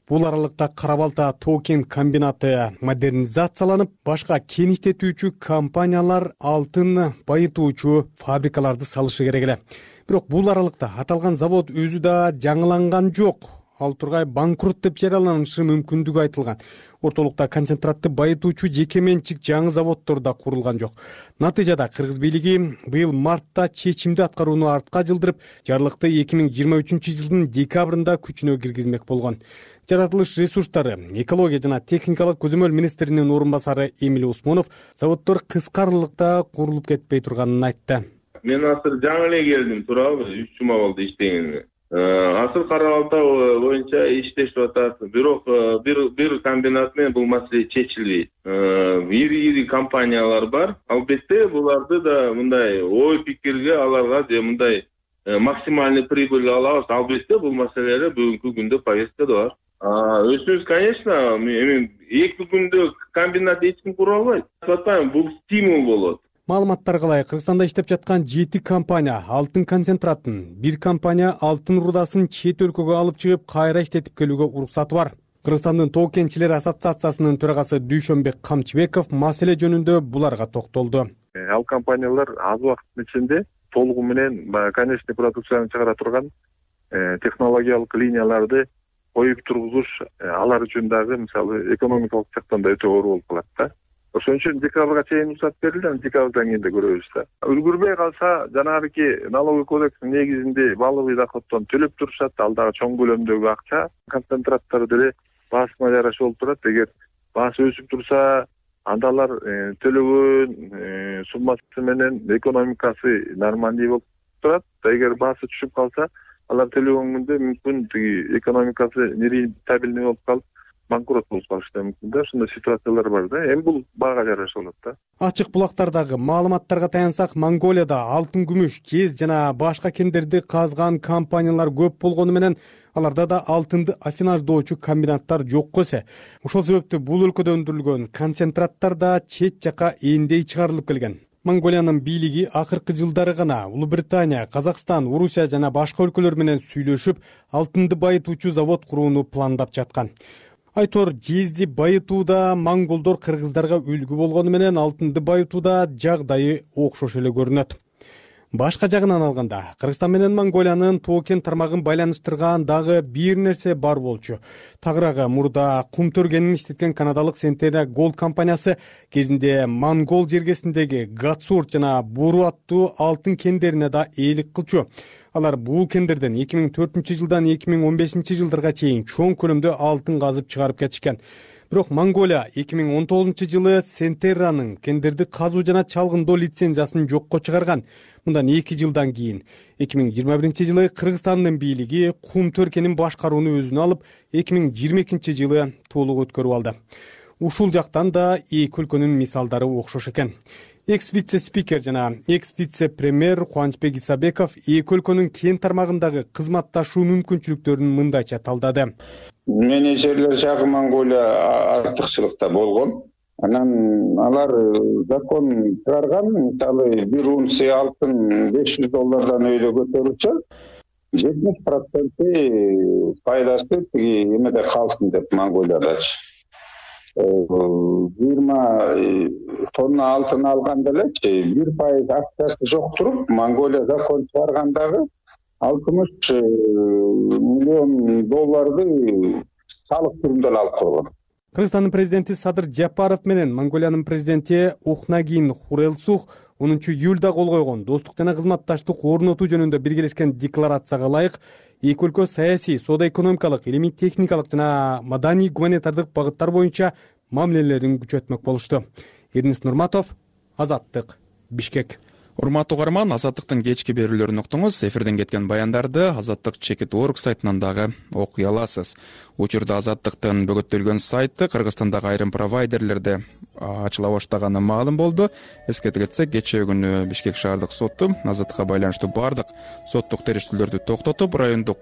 Бул аралыкта Кара Балта тоо кен комбинаты модернизацияланып, башка кен иштетүүчү компаниялар алтын байытуучу фабрикаларды салышы керек эле. Бирок бул аралыкта аталган завод өзү да жаңыланган жок. Ал тургай банкрот деп жарыяланышы мүмкүндүгү айтылган. Ортолукта концентратты байытуучу жеке менчик жаңы заводдор да курулган жок. Натыйжада Кыргыз бийлиги быйыл мартта чечимди аткарууну артка жылдырып, жарлыкты эки миң жыйырма үчүнчү жылдын декабрында күчүнө киргизмек болгон. Жаратылыш ресурстары, экология жана техникалык көзөмөл министринин орун басары Эмиль Усмонов заводдор кыска аралыкта курулуп кетпей турганын айтты. Мен азыр жаңы эле келдим, туурабы, үч жума болду иштегениме. Азыр Кара Балта боюнча иштешип атат. Бирок бир бир комбинат менен бул маселе чечилбейт. Ири-ири компаниялар бар. Албетте буларды да мындай ой пикирге аларга же мындай максимальный прибыль алабыз. Албетте бул маселелер бүгүнкү күндө повесткада бар. Өзүбүз, конечно, эми эки күндө комбинат эч ким кура албайт. Атпайм, бул стимул болот. Маалыматтарга ылайык Кыргызстанда иштеп жаткан жети компания алтын концентратын, бир компания алтын рудасын чет өлкөгө алып чыгып кайра иштетип келүүгө уруксаты бар. Кыргызстандын тоо кенчилери ассоциациясынын төрагасы Дүйшөнбек Камчыбеков маселе жөнүндө буларга токтолду. Ал компаниялар аз убакыттын ичинде толугу менен конечный продукцияны чыгара турган технологиялык линияларды коюп тургузуш алар үчүн дагы мисалы экономикалык жактан да өтө оор болуп калат да. Ошон үчүн декабрга чейин уруксат берилди, декабрдан кийин да көрөбүз да. Үлгүрбөй калса, жанагы налоговый кодекстин негизинде баалуу доходдон төлөп турушат, ал дагы чоң көлөмдөгү акча. Концентраттар деле баасына жараша болуп турат. Эгер баасы өсүп турса, анда алар төлөгөн суммасы менен экономикасы нормальный болуп турат. Эгер баасы түшүп калса, алар төлөгөн күндө мүмкүн тиги экономикасы нерентабельный болуп калып, банкрот болуп калышы да мүмкүн да. Ошондой ситуациялар бар да. Эми бул баага жараша болот да. Ачык булактардагы маалыматтарга таянсак, Монголияда алтын, күмүш, кез жана башка кендерди казган компаниялар көп болгону менен аларда да алтынды афинаждоочу комбинаттар жокко эсе. Ошол себептүү бул өлкөдө өндүрүлгөн концентраттар да чет жака эндей чыгарылып келген. Монголиянын бийлиги акыркы жылдары гана Улуу Британия, Казакстан, Орусия жана башка өлкөлөр менен сүйлөшүп, алтынды байытуучу завод курууну пландап жаткан. Айтор, жезди байытууда монголдор кыргыздарга үлгү болгону менен алтынды байытууда жагдайы окшош эле көрүнөт. Башка жагынан алганда, Кыргызстан менен Монголиянын тоо кен тармагын байланыштырган дагы бир нерсе бар болчу. Тагыраагы мурда кум төргенин иштеткен канадалык Centerra Gold компаниясы кезинде Монгол жергесиндеги Гатсурт жана Буру аттуу алтын кендерине да ээлик кылчу. Алар бул кендерден эки миң төртүнчү жылдан эки миң он бешинчи жылдарга чейин чоң көлөмдө алтын казып чыгарып кетишкен. Бирок Монголия эки миң он тогузунчу жылы Centerra'нын кендерди казуу жана чалгындоо лицензиясын жокко чыгарган. Мындан эки жылдан кийин эки миң жыйырма биринчи жылы Кыргызстандын бийлиги кум төркенин башкарууну өзүнө алып, эки миң жыйырма экинчи жылы толук өткөрүп алды. Ушул жактан да эки өлкөнүн мисалдары окшош экен. Экс-вице-спикер жана экс-вице-премьер Кубанычбек Исабеков эки өлкөнүн кен тармагындагы кызматташуу мүмкүнчүлүктөрүн мындайча талдады. Менеджерлер жагы Монголия артыкчылыкта болгон. Анан алар закон чыгарган, мисалы бир унция алтын беш жүз доллардан өйдө көтөрүлсө, жетимиш проценти пайдасы тиги эмеде калсын деп Монголиядачы. жыйырма тонна алтын алганда элечи бир пайыз акчасы жок туруп, Монголия закон чыгаргандагы алтымыш миллион долларды салык түрүндө эле алып койгон. Кыргызстандын президенти Садыр Жапаров менен Монголиянын президенти Ухнагин Хурэлсух онунчу июлда кол койгон достук жана кызматташтык орнотуу жөнүндө биргелешкен декларацияга ылайык эки өлкө саясий, соода-экономикалык, илимий-техникалык жана маданий гуманитардык багыттар боюнча мамилелерин күчөтмөк болушту. Эрнис Нурматов, Азаттык, Бишкек. Урматтуу угарман, Азаттыктын кечки берүүлөрүн уктуңуз. Эфирден кеткен баяндарды Азаттык чекит точка орг сайтынан дагы окуй аласыз. Учурда Азаттыктын бөгөттөлгөн сайты Кыргызстандагы айрым провайдерлерде ачыла баштаганы маалым болду. Эске кетсек, кечээ күнү Бишкек шаардык соту Азаттыкка байланыштуу бардык соттук териштүүлөрдү токтотуп, райондук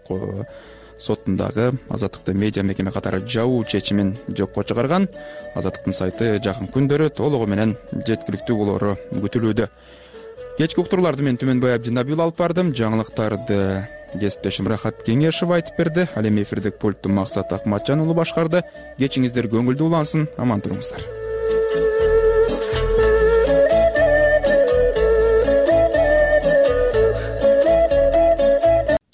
соттундагы Азаттыкты медиа мекеме катары жабуу чечимин жокко чыгарган. Азаттыктын сайты жакын күндөрү толугу менен жеткиликтүү болору күтүлүүдө. Кечки уктурууларды мен Түмөнбай Абдинабил алып бардым. Жаңылыктарды кесиптешим Рахат Кеңешев айтып берди. Ал эми эфирдик пультту Максат Акматжан уулу башкарды. Кечиңиздер көңүлдүү улансын, аман туруңуздар.